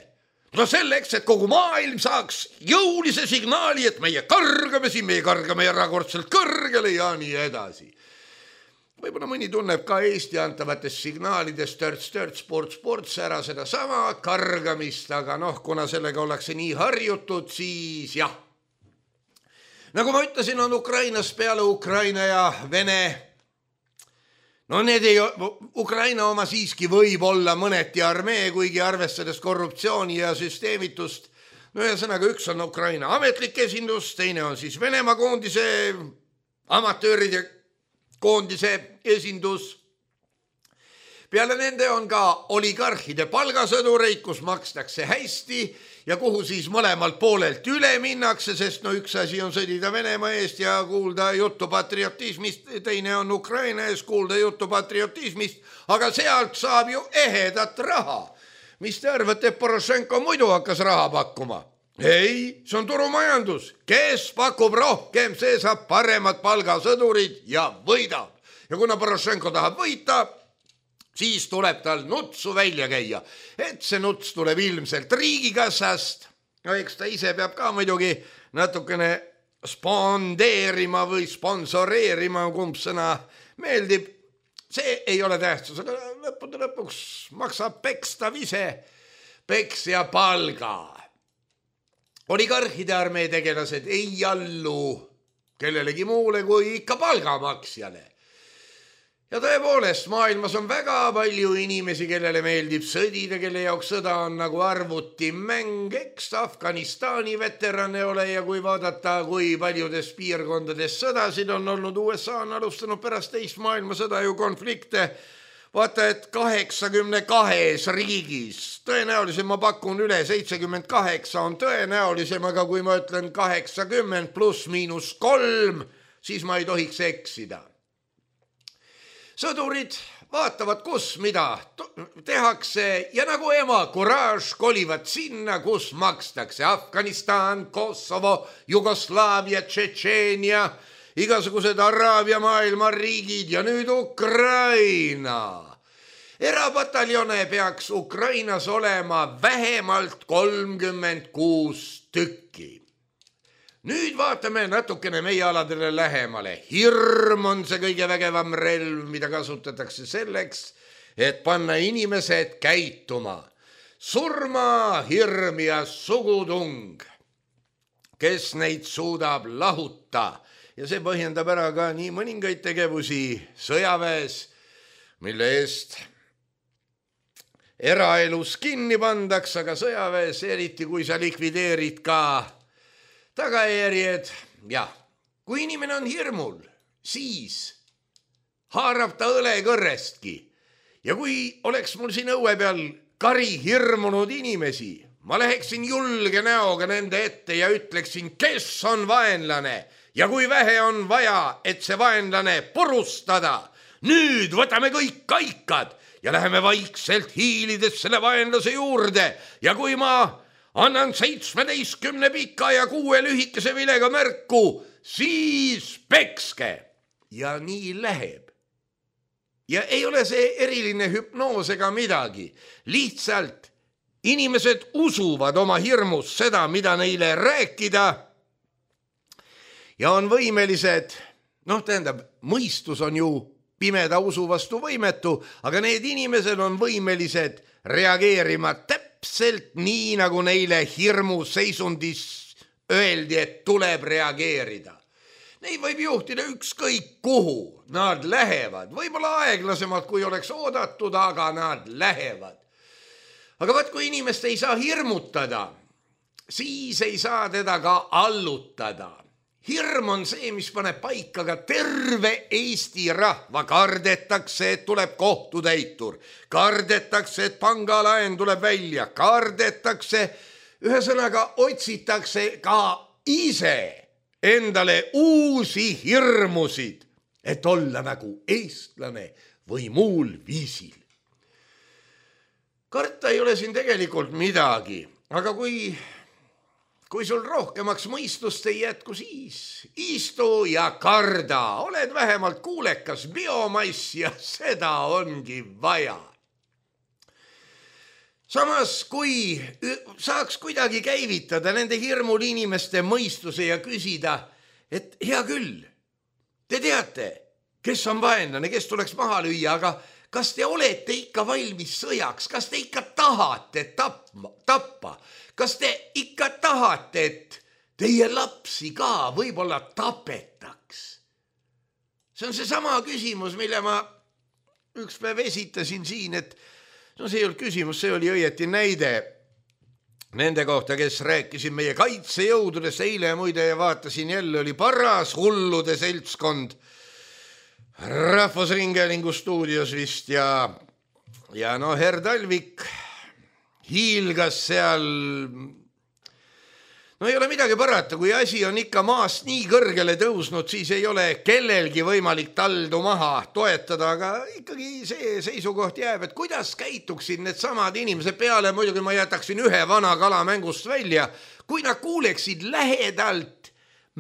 No selleks, et kogu maailm saaks jõulise signaali, et meie kargame siin, meie kargame erakordselt kõrgele ja nii edasi. Võib-olla mõni tunneb ka Eesti antavatest signaalidest törts, törts, sports, sports ära seda sama kargamist, aga noh, kuna sellega ollakse nii harjutud, siis jah. Nagu ma ütlesin, on Ukrainas peale Ukraina ja Vene. No need ei, Ukraina oma siiski võib olla mõneti armee, kuigi arvestades korruptsiooni ja süsteemitust. No ühesõnaga, üks on Ukraina ametlik esindus, teine on siis Venemaa koondise, amatööride koondise esindus. Peale nende on ka oligarhide palgasõdureid, kus makstakse hästi ja kuhu siis mõlemalt poolelt üle minnakse, sest no üks asi on sõdida Venemaa eest ja kuulda juttu patriotismist, teine on Ukraina eest kuulda juttu patriotismist, aga sealt saab ju ehedat raha. Mis te arvate, et Poroshenko muidu hakkas raha pakkuma? Ei, see on turumajandus. Kes pakub rohkem, see saab paremad palgasõdurid ja võidab. Ja kuna Poroshenko tahab võita, siis tuleb tal nutsu välja käia, et see nuts tuleb ilmselt riigikassast. No eks ta ise peab ka muidugi natukene spondeerima või sponsoreerima, kumb sõna meeldib. See ei ole tähtsus, aga lõppude lõpuks maksab pekstav ise peksja palga. Oligarhide armee tegelased ei allu kellelegi muule kui ikka palgamaksjale. Ja tõepoolest, maailmas on väga palju inimesi, kellele meeldib sõdida, kelle jaoks sõda on nagu arvuti mäng, eks Afganistani veterane ole ja kui vaadata, kui paljudes piirkondades sõdasid on olnud, U S A on alustanud pärast teist maailmasõda ju konflikte, vaata, et kaheksakümne kahes riigis, tõenäolisem ma pakun üle, seitsekümmend kaheksa on tõenäolisem, aga kui ma ütlen kaheksakümmend pluss miinus kolm, siis ma ei tohiks eksida. Sõdurid vaatavad, kus mida tehakse ja nagu ema kuraaž kolivad sinna, kus makstakse Afganistan, Kosovo, Jugoslaavia, Tšetšeenia, igasugused Araabia maailma riigid ja nüüd Ukraina. Erapataljone peaks Ukrainas olema vähemalt kolmkümmend kuus tükki. Nüüd vaatame natukene meie aladele lähemale. Hirm on see kõige vägevam relv, mida kasutatakse selleks, et panna inimesed käituma. Surma, hirm ja sugutung, kes neid suudab lahuta. Ja see põhjendab ära ka nii mõningaid tegevusi sõjaväes, mille eest eraelus kinni pandaks, aga sõjaväes, eriti kui sa likvideerid ka tagajärjed, jah, kui inimene on hirmul, siis haarab ta õlekõrrestki. Ja kui oleks mul siin õue peal kari hirmunud inimesi, ma läheksin julge näoga nende ette ja ütleksin, kes on vaenlane ja kui vähe on vaja, et see vaenlane purustada. Nüüd võtame kõik kaikad ja läheme vaikselt hiilides selle vaenlase juurde ja kui ma annan seitsmeteistkümne pika ja kuue lühikese vilega märku, siis pekske. Ja nii läheb. Ja ei ole see eriline hüpnoos ega midagi. Lihtsalt inimesed usuvad oma hirmus seda, mida neile rääkida ja on võimelised, noh tähendab, mõistus on ju pimeda usu vastu võimetu, aga need inimesed on võimelised reageerima täpselt Täpselt nii, nagu neile hirmu seisundis öeldi, et tuleb reageerida. Neid võib juhtida ükskõik kuhu. Nad lähevad, võib-olla aeglasemalt, kui oleks oodatud, aga nad lähevad. Aga vaat, kui inimest ei saa hirmutada, siis ei saa teda ka allutada. Hirm on see, mis paneb paika ka terve Eesti rahva. Kardetakse, et tuleb kohtutäitur. Kardetakse, et pangalaen tuleb välja. Kardetakse, ühesõnaga otsitakse ka ise endale uusi hirmusid, et olla nagu eestlane või muul viisil. Karta ei ole siin tegelikult midagi, aga kui, kui sul rohkemaks mõistust ei jätku, siis istu ja karda, oled vähemalt kuulekas biomass ja seda ongi vaja. Samas, kui saaks kuidagi käivitada nende hirmul inimeste mõistuse ja küsida, et hea küll, te teate, kes on vaenlane, kes tuleks maha lüüa, aga kas te olete ikka valmis sõjaks, kas te ikka tahate tapma, tappa, kas te ikka tahate, et teie lapsi ka võib-olla tapetaks? See on see sama küsimus, mille ma üks päev esitasin siin, et no see ei olnud küsimus, see oli õieti näide nende kohta, kes rääkisid meie kaitsejõududest. Eile muide vaatasin, jälle oli paras hullude seltskond Rahvusringhäälingu stuudios vist ja, ja no Herr Talvik hiilgas seal. No ei ole midagi parata, kui asi on ikka maast nii kõrgele tõusnud, siis ei ole kellelgi võimalik taldu maha toetada, aga ikkagi see seisukoht jääb, et kuidas käituksid need samad inimesed peale, muidugi ma jätaksin ühe vana kala mängust välja, kui nad kuuleksid lähedalt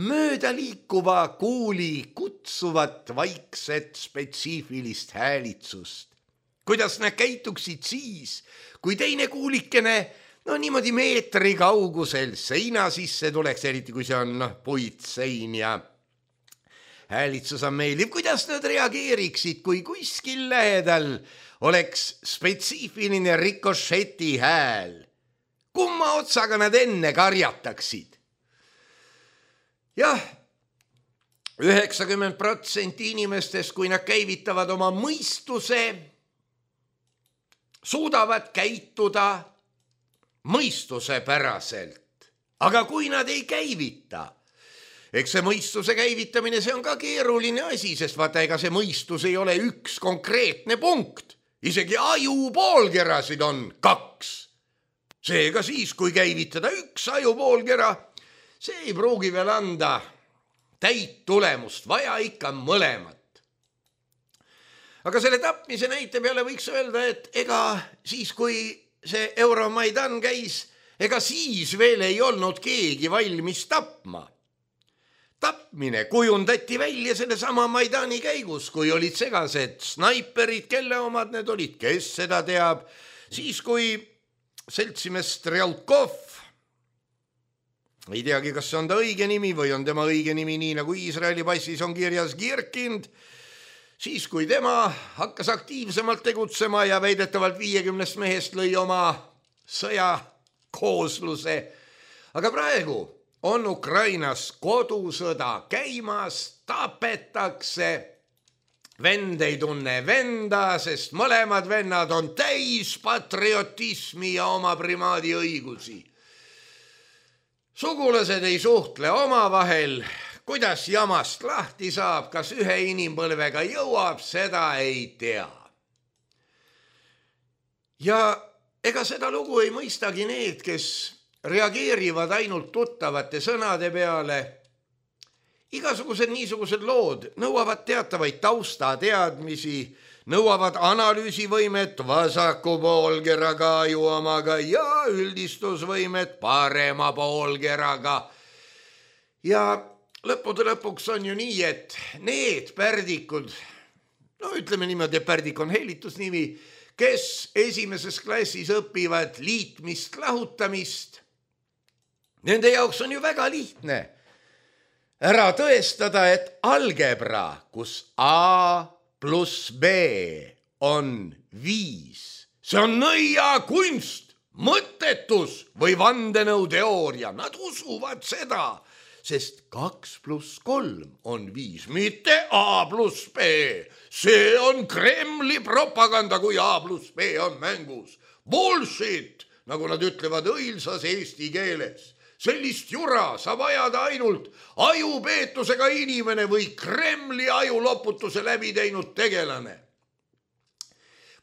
mööda liikuva kuuli kutsuvat vaikset spetsiifilist häälitsust. Kuidas nad käituksid siis, kui teine kuulikene no niimoodi meetri kaugusel seina sisse tuleks, eriti kui see on no, puitsein ja häälitsus on meeldiv. Kuidas nad reageeriksid, kui kuskil lähedal oleks spetsiifiline rikošeti hääl? Kumma otsaga nad enne karjataksid? Jah, üheksakümmend protsenti inimestest, kui nad käivitavad oma mõistuse, suudavad käituda mõistuse päraselt. Aga kui nad ei käivita, eks see mõistuse käivitamine, see on ka keeruline asi, sest vaata, ega see mõistus ei ole üks konkreetne punkt. Isegi aju poolkerasid on kaks. Seega siis, kui käivitada üks aju poolkera, see ei pruugi veel anda täit tulemust, vaja ikka mõlemat. Aga selle tapmise näite peale võiks öelda, et ega siis, kui see Euromaidan käis, ega siis veel ei olnud keegi valmis tapma. Tapmine kujundati välja selle sama Maidani käigus, kui olid segased snaiperid, kelle omad need olid, kes seda teab. Siis, kui seltsimees Strelkov, ei teagi, kas see on ta õige nimi või on tema õige nimi nii, nagu Iisraeli passis on kirjas Girkind, siis kui tema hakkas aktiivsemalt tegutsema ja väidetavalt viiekümnest mehest lõi oma sõjakoosluse. Aga praegu on Ukrainas kodusõda käimas, tapetakse. Vend ei tunne venda, sest mõlemad vennad on täis patriotismi ja oma primaadi õigusi. Sugulased ei suhtle omavahel. Kuidas jamast lahti saab, kas ühe inimpõlvega jõuab, seda ei tea. Ja ega seda lugu ei mõistagi need, kes reageerivad ainult tuttavate sõnade peale. Igasugused niisugused lood nõuavad teatavaid taustateadmisi, nõuavad analüüsivõimet vasaku poolkeraga ajuomaga ja üldistusvõimet parema poolkeraga. Ja lõppude lõpuks on ju nii, et need pärdikud, no ütleme niimoodi, pärdik on hellitusnimi, kes esimeses klassis õpivad liitmist, lahutamist, nende jaoks on ju väga lihtne ära tõestada, et algebra, kus A pluss B on viis, see on nõiakunst, mõttetus või vandenõuteooria. Nad usuvad seda, sest kaks pluss kolm on viis, mitte A pluss B. See on Kremli propaganda, kui A pluss B on mängus. Bullshit, nagu nad ütlevad õilsas eesti keeles. Sellist jura saab ajada ainult ajupeetusega inimene või Kremli ajuloputuse läbi teinud tegelane.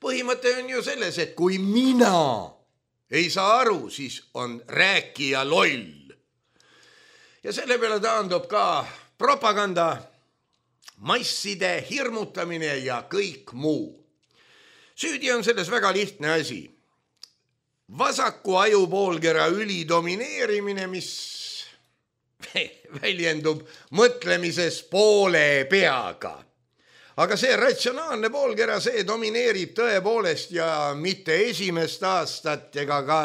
Põhimõte on ju selles, et kui mina ei saa aru, siis on rääkija loll. ja selle peale taandub ka propaganda, masside hirmutamine ja kõik muu. Süüdi on selles väga lihtne asi. Vasaku ajupoolkera ülidomineerimine, mis väljendub mõtlemises poole peaga. Aga see ratsionaalne poolkera, see domineerib tõepoolest ja mitte esimest aastat ega ka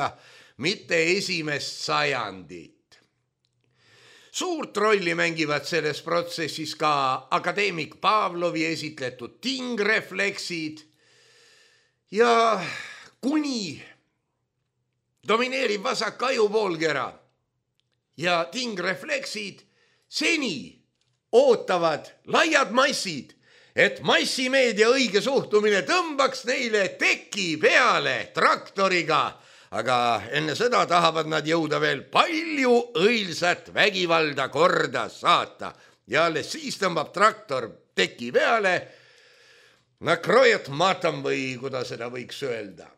mitte esimest sajandit. Suurt rolli mängivad selles protsessis ka akadeemik Pavlovi esitletud tingrefleksid ja kuni domineerib vasak ajupoolkera ja tingrefleksid, seni ootavad laiad massid, et massimeedia õige suhtumine tõmbaks neile teki peale traktoriga, aga enne seda tahavad nad jõuda veel palju õilsat vägivalda korda saata ja alles siis tõmbab traktor teki peale, nakrojet matam või kuidas seda võiks öelda.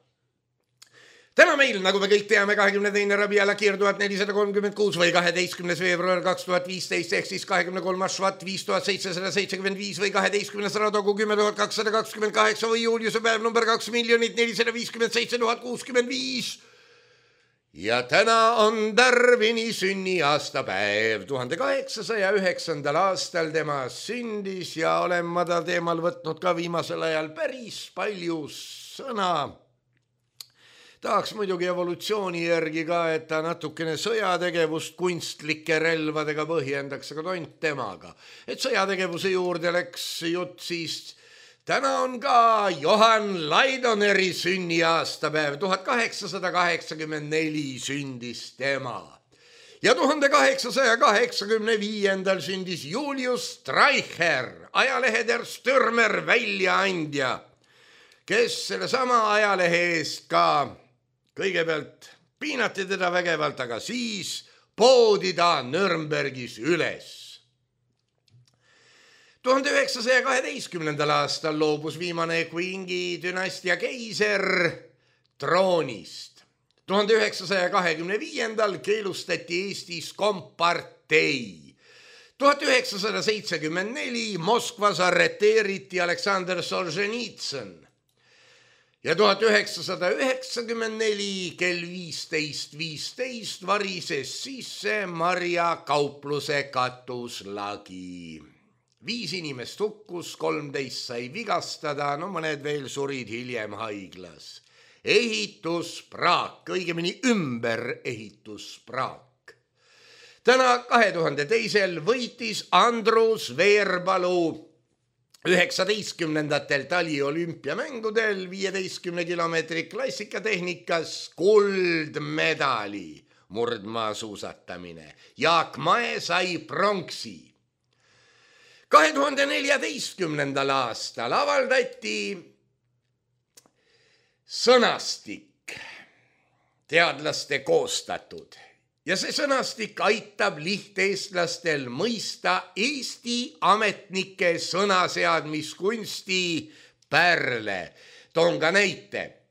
Täna meil, nagu me kõik teame, kahekümne teine Rabiala Kir tuhat nelisada kolmkümmend kuus või kaheteistkümnes veebruar kaks tuhat viisteist ehk siis kahekümne kolmas Švat viis tuhat seitsesada seitsekümmend viis või kaheteistkümnes Radogu kümme tuhat kakssada kakskümmend kaheksa või Juliuse päev number kaks miljonit nelisada viiskümmend seitse tuhat kuuskümmend viis. Ja täna on Darwini sünniaastapäev. tuhande kaheksasaja üheksandal aastal tema sündis ja olen ma ta teemal võtnud ka viimasel ajal päris palju sõna. Tahaks muidugi evolutsiooni järgi ka, et ta natukene sõjategevust kunstlike relvadega põhjendaks, aga tont temaga. Et sõjategevuse juurde läks jutt, siis täna on ka Johan Laidoneri sünniaastapäev. tuhat kaheksasada kaheksakümmend neli sündis tema. Ja tuhande kaheksasaja kaheksakümne viiendal sündis Julius Streicher, ajalehe Der Stürmer väljaandja, kes selle sama ajalehe eest ka kõigepealt piinati teda vägevalt, aga siis poodi ta Nürnbergis üles. tuhande üheksasaja kaheteistkümnendal aastal loobus viimane Qingi dünastia keiser troonist. tuhande üheksasaja kahekümne viiendal keelustati Eestis kompartei. tuhat üheksasada seitsekümmend neli Moskvas arreteeriti Aleksander Solženitsõn. Ja tuhat üheksasada üheksakümmend neli kell viisteist viisteist varises sisse Marja kaupluse katuslagi. Viis inimest hukkus, kolmteist sai vigastada, no mõned veel surid hiljem haiglas. Ehituspraak, õigemini ümber ehituspraak. Täna kahe tuhande teisel võitis Andrus Veerpalu üheksateistkümnendatel taliolümpiamängudel viieteistkümne kilomeetri klassikatehnikas kuldmedali murdmaasuusatamine. Jaak Mae sai pronksi. kahe tuhande neljateistkümnendal aastal avaldati sõnastik, teadlaste koostatud. Ja see sõnastik aitab lihteestlastel mõista Eesti ametnike sõnaseadmiskunsti pärle. Toon ka näite.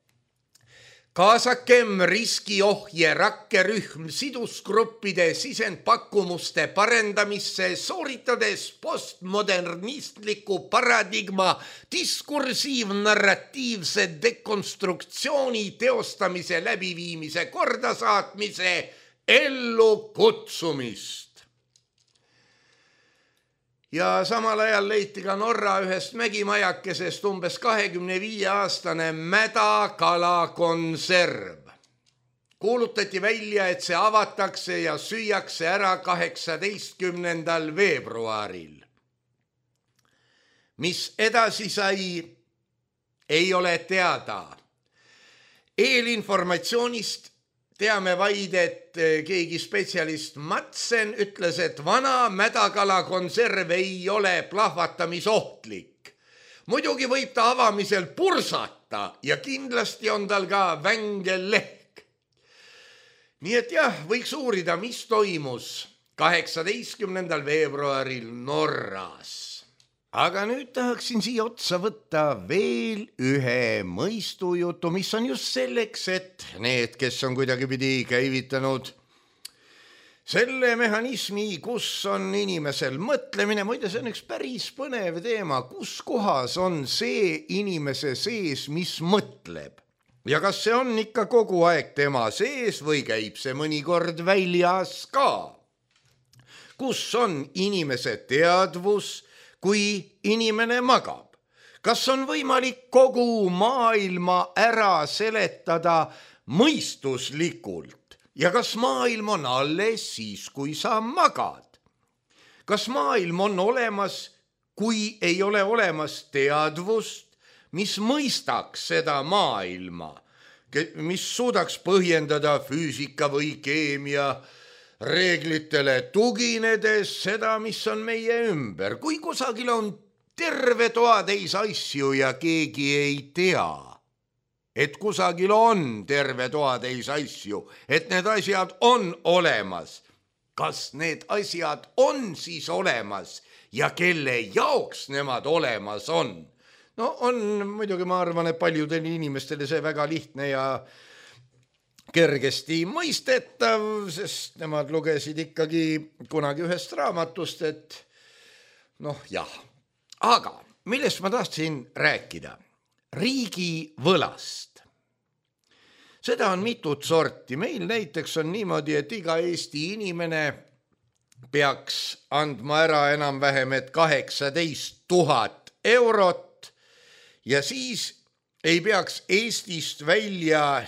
Kaasakem riskiohje rakkerühm sidusgruppide sisendpakkumuste parendamisse, sooritades postmodernistliku paradigma diskursiivnarratiivse dekonstruktsiooni teostamise läbiviimise kordasaatmise ellu kutsumist. Ja samal ajal leiti ka Norra ühest mägimajakesest umbes kahekümne viie aastane mädakalakonserv. Kuulutati välja, et see avatakse ja süüakse ära kaheksateistkümnendal veebruaril. Mis edasi sai, ei ole teada. Eelinformatsioonist teame vaid, et keegi spetsialist Matsen ütles, et vana mädakalakonserv ei ole plahvatamisohtlik. Muidugi võib ta avamisel pursata ja kindlasti on tal ka vängel lehk. Nii et jah, võiks uurida, mis toimus kaheksateistkümnendal veebruaril Norras. Aga nüüd tahaksin siia otsa võtta veel ühe mõistujutu, mis on just selleks, et need, kes on kuidagipidi käivitanud selle mehhanismi, kus on inimesel mõtlemine, muide see on üks päris põnev teema, kus kohas on see inimese sees, mis mõtleb ja kas see on ikka kogu aeg tema sees või käib see mõnikord väljas ka. Kus on inimese teadvus, kui inimene magab? Kas on võimalik kogu maailma ära seletada mõistuslikult? Ja kas maailm on alles siis, kui sa magad? Kas maailm on olemas, kui ei ole olemas teadvust, mis mõistaks seda maailma, mis suudaks põhjendada füüsika või keemia reeglitele tuginedes seda, mis on meie ümber? Kui kusagil on terve toatäis asju ja keegi ei tea, et kusagil on terve toatäis asju, et need asjad on olemas. Kas need asjad on siis olemas ja kelle jaoks nemad olemas on? No on muidugi, ma arvan, et paljudel inimestele see väga lihtne ja kergesti mõistetav, sest nemad lugesid ikkagi kunagi ühest raamatust, et noh jah. Aga millest ma tahtsin rääkida? Riigi võlast. Seda on mitut sorti. Meil näiteks on niimoodi, et iga Eesti inimene peaks andma ära enam-vähem et kaheksateist tuhat eurot ja siis ei peaks Eestist välja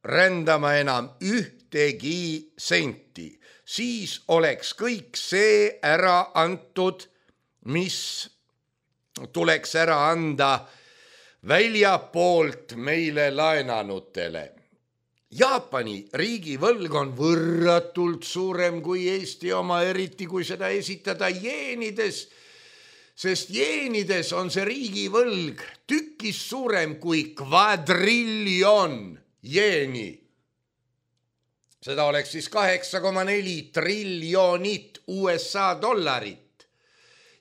rändama enam ühtegi senti. Siis oleks kõik see ära antud, mis tuleks ära anda väljapoolt meile laenanutele. Jaapani riigivõlg on võrratult suurem kui Eesti oma, eriti kui seda esitada jeenides, sest jeenides on see riigivõlg tükis suurem kui kvadriljon jeeni. Seda oleks siis kaheksa koma neli triljonit U S A dollarit.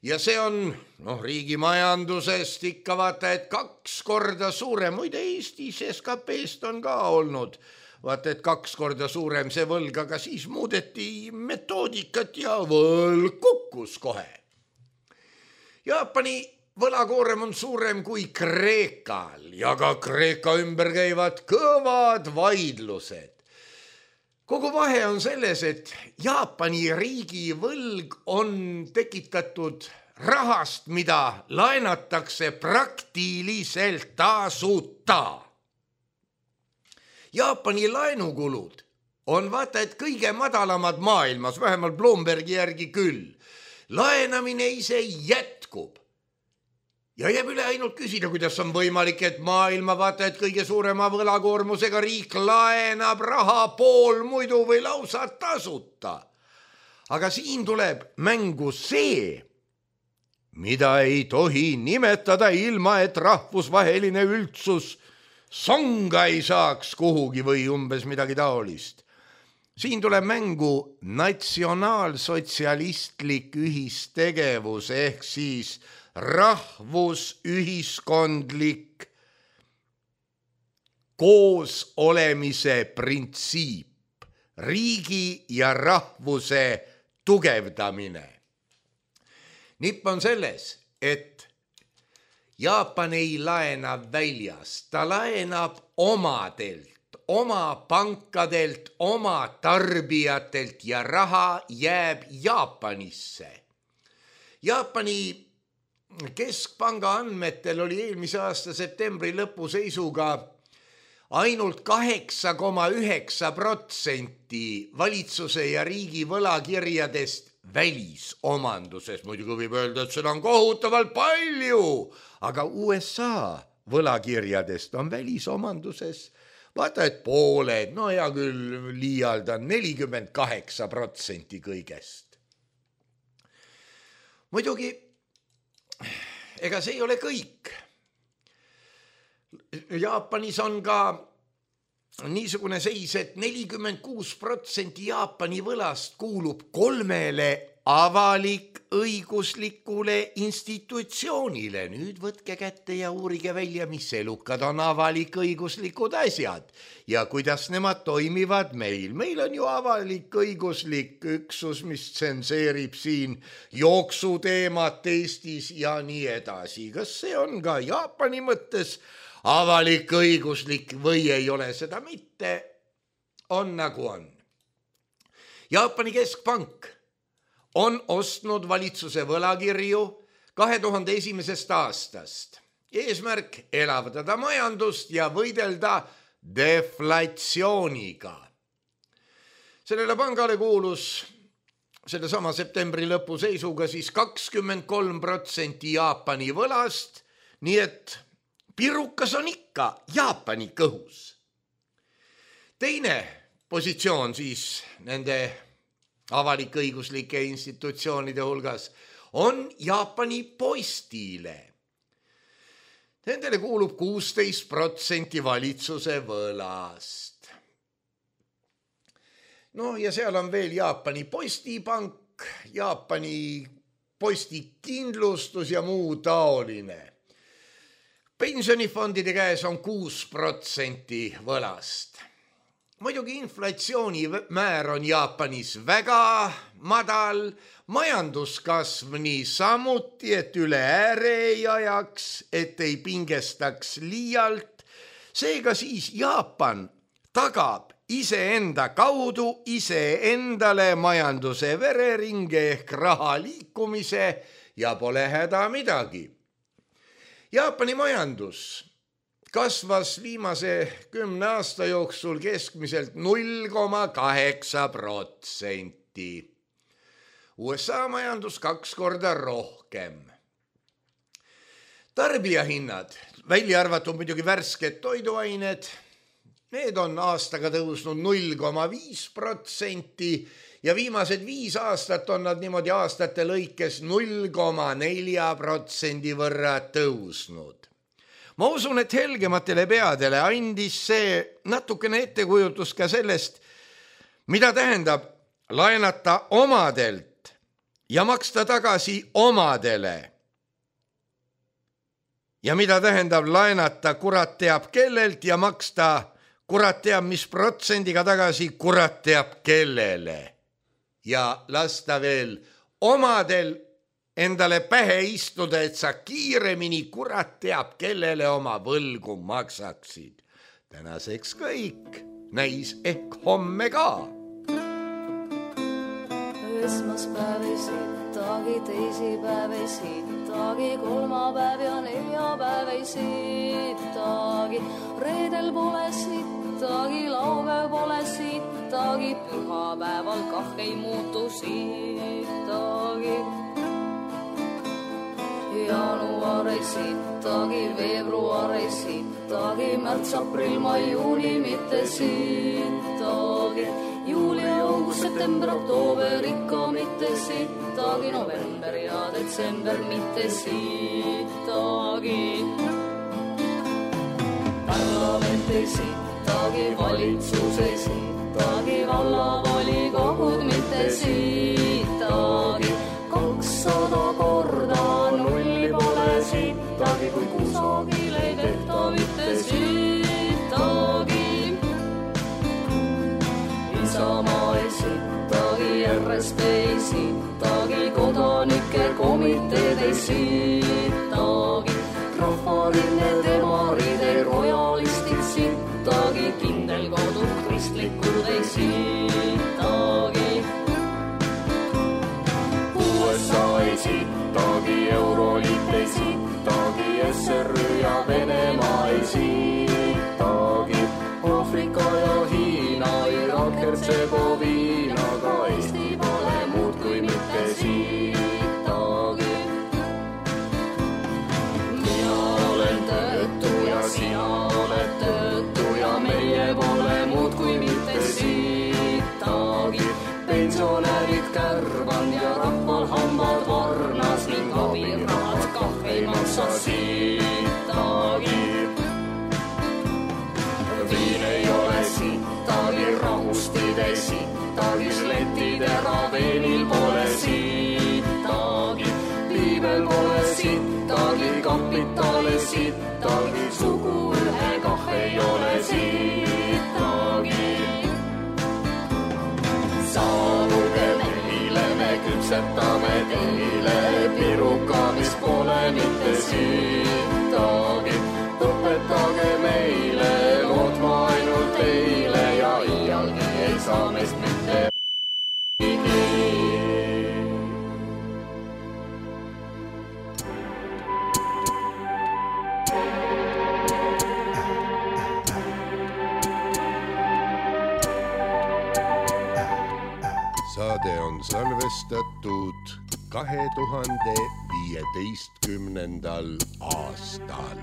Ja see on noh, riigi majandusest ikka vaata, et kaks korda suurem, muide Eestis S K P-st on ka olnud, vaata, et kaks korda suurem see võlg, aga siis muudeti metoodikat ja võlg kukkus kohe. Jaapani võlakoorem on suurem kui Kreekal ja ka Kreeka ümber käivad kõvad vaidlused. Kogu vahe on selles, et Jaapani riigi võlg on tekitatud rahast, mida laenatakse praktiliselt tasuta. Jaapani laenukulud on vaata, et kõige madalamad maailmas, vähemalt Bloombergi järgi küll. Laenamine ise jätkub. Ja jääb üle ainult küsida, kuidas on võimalik, et maailma vaata, et kõige suurema võlakoormusega riik laenab raha pool muidu või lausa tasuta. Aga siin tuleb mängu see, mida ei tohi nimetada ilma, et rahvusvaheline üldsus songa ei saaks kuhugi või umbes midagi taolist. Siin tuleb mängu natsionaalsotsialistlik ühistegevus ehk siis rahvusühiskondlik koos olemise printsiip, riigi ja rahvuse tugevdamine. Nipp on selles, et Jaapan ei laena väljas, ta laenab omadelt, oma pankadelt, oma tarbijatelt ja raha jääb Jaapanisse. Jaapani keskpanga andmetel oli eelmise aasta septembri lõpu seisuga ainult kaheksa koma üheksa protsenti valitsuse ja riigi võlakirjadest välisomanduses. Muidugi võib öelda, et seda on kohutavalt palju, aga U S A võlakirjadest on välisomanduses vaata, et pooled, no hea küll liialdan, nelikümmend kaheksa protsenti kõigest. Muidugi, ega see ei ole kõik. Jaapanis on ka niisugune seis, et nelikümmend kuus protsenti Jaapani võlast kuulub kolmele avalik õiguslikule institutsioonile. Nüüd võtke kätte ja uurige välja, mis elukad on avalik õiguslikud asjad ja kuidas nemad toimivad meil. Meil on ju avalik õiguslik üksus, mis tsenseerib siin jooksuteemat Eestis ja nii edasi. Kas see on ka Jaapani mõttes avalik õiguslik või ei ole seda mitte? On nagu on. Jaapani keskpank on ostnud valitsuse võlakirju kahe tuhande esimesest aastast. Eesmärk elavdada majandust ja võidelda deflatsiooniga. Sellele pangale kuulus selle sama septembri lõpu seisuga siis kakskümmend kolm protsenti Jaapani võlast, nii et pirukas on ikka Jaapani kõhus. Teine positsioon siis nende avalik-õiguslike institutsioonide hulgas on Jaapani Postile. Nendele kuulub kuusteist protsenti valitsuse võlast. No ja seal on veel Jaapani Postipank, Jaapani Postikindlustus ja muu taoline. Pensionifondide käes on kuus protsenti võlast. Muidugi inflatsiooni määr on Jaapanis väga madal, majanduskasv nii samuti, et üle ääre ei ajaks, et ei pingestaks liialt. Seega siis Jaapan tagab iseenda kaudu iseendale majanduse vereringe ehk raha liikumise ja pole häda midagi. Jaapani majandus kasvas viimase kümne aasta jooksul keskmiselt null koma kaheksa protsenti. U S A majandus kaks korda rohkem. Tarbijahinnad, välja arvatud muidugi värsked toiduained, need on aastaga tõusnud null koma viis protsenti ja viimased viis aastat on nad niimoodi aastate lõikes null koma nelja protsendi võrra tõusnud. Ma usun, et helgematele peadele andis see natukene ettekujutus ka sellest, mida tähendab laenata omadelt ja maksta tagasi omadele. Ja mida tähendab laenata kurat teab kellelt ja maksta kurat teab mis protsendiga tagasi kurat teab kellele. Ja lasta veel omadel endale pähe istuda, et sa kiiremini kurat teab, kellele oma võlgu maksaksid. Tänaseks kõik, näis ehk homme ka. Esmaspäev ei sittagi, teisipäev ei sittagi, kolmapäev ja neljapäev ei sittagi, reedel pole sittagi, laupäev pole sittagi, pühapäeval kah ei muutu sittagi. Jaanuar ei sittagi, veebruar ei sittagi, märts, aprill, mai, juuni mitte sittagi, juuli, august, september, oktoober ikka mitte sittagi, november ja detsember mitte sittagi. Parlament ei sittagi, valitsus ei sittagi, vallavolikogud mitte sittagi, kakssada korda nulli pole sittagi, kui kusagil ei tehta mitte sittagi. Isamaa ei sittagi, R S P ei sittagi, kodanike komiteed ei sittagi, rahvaline demarid ei rojalistid sittagi, kindel kodu kristlikud ei sittagi. U S A ei sittagi, Euroliit ei sittagi, S R Ü ja Venemaa ei sittagi, Aafrika ja Hiina, Irak, Hertsegoviina, ka Eesti pole muud kui mitte sittagi. Mina olen töötu ja sina oled töötu ja meie pole muud kui mitte sittagi, pensionärid kärvan ja rahval hambad varnas ning abirahad kah ei maksa sittagi. Viin ei ole sittagi, rahustid ei sittagi, sletid eraveenil pole sittagi. kui veel pole sittagi, kapitali sittagi, sugu ühe kah ei ole sittagi. Saabuge meile, me küpsetame teile piruka, mis pole mitte sittagi. Õpetage meile lootma ainult teile ja iialgi ei saa meist mitte saade on salvestatud kahe tuhande viieteistkümnendal aastal.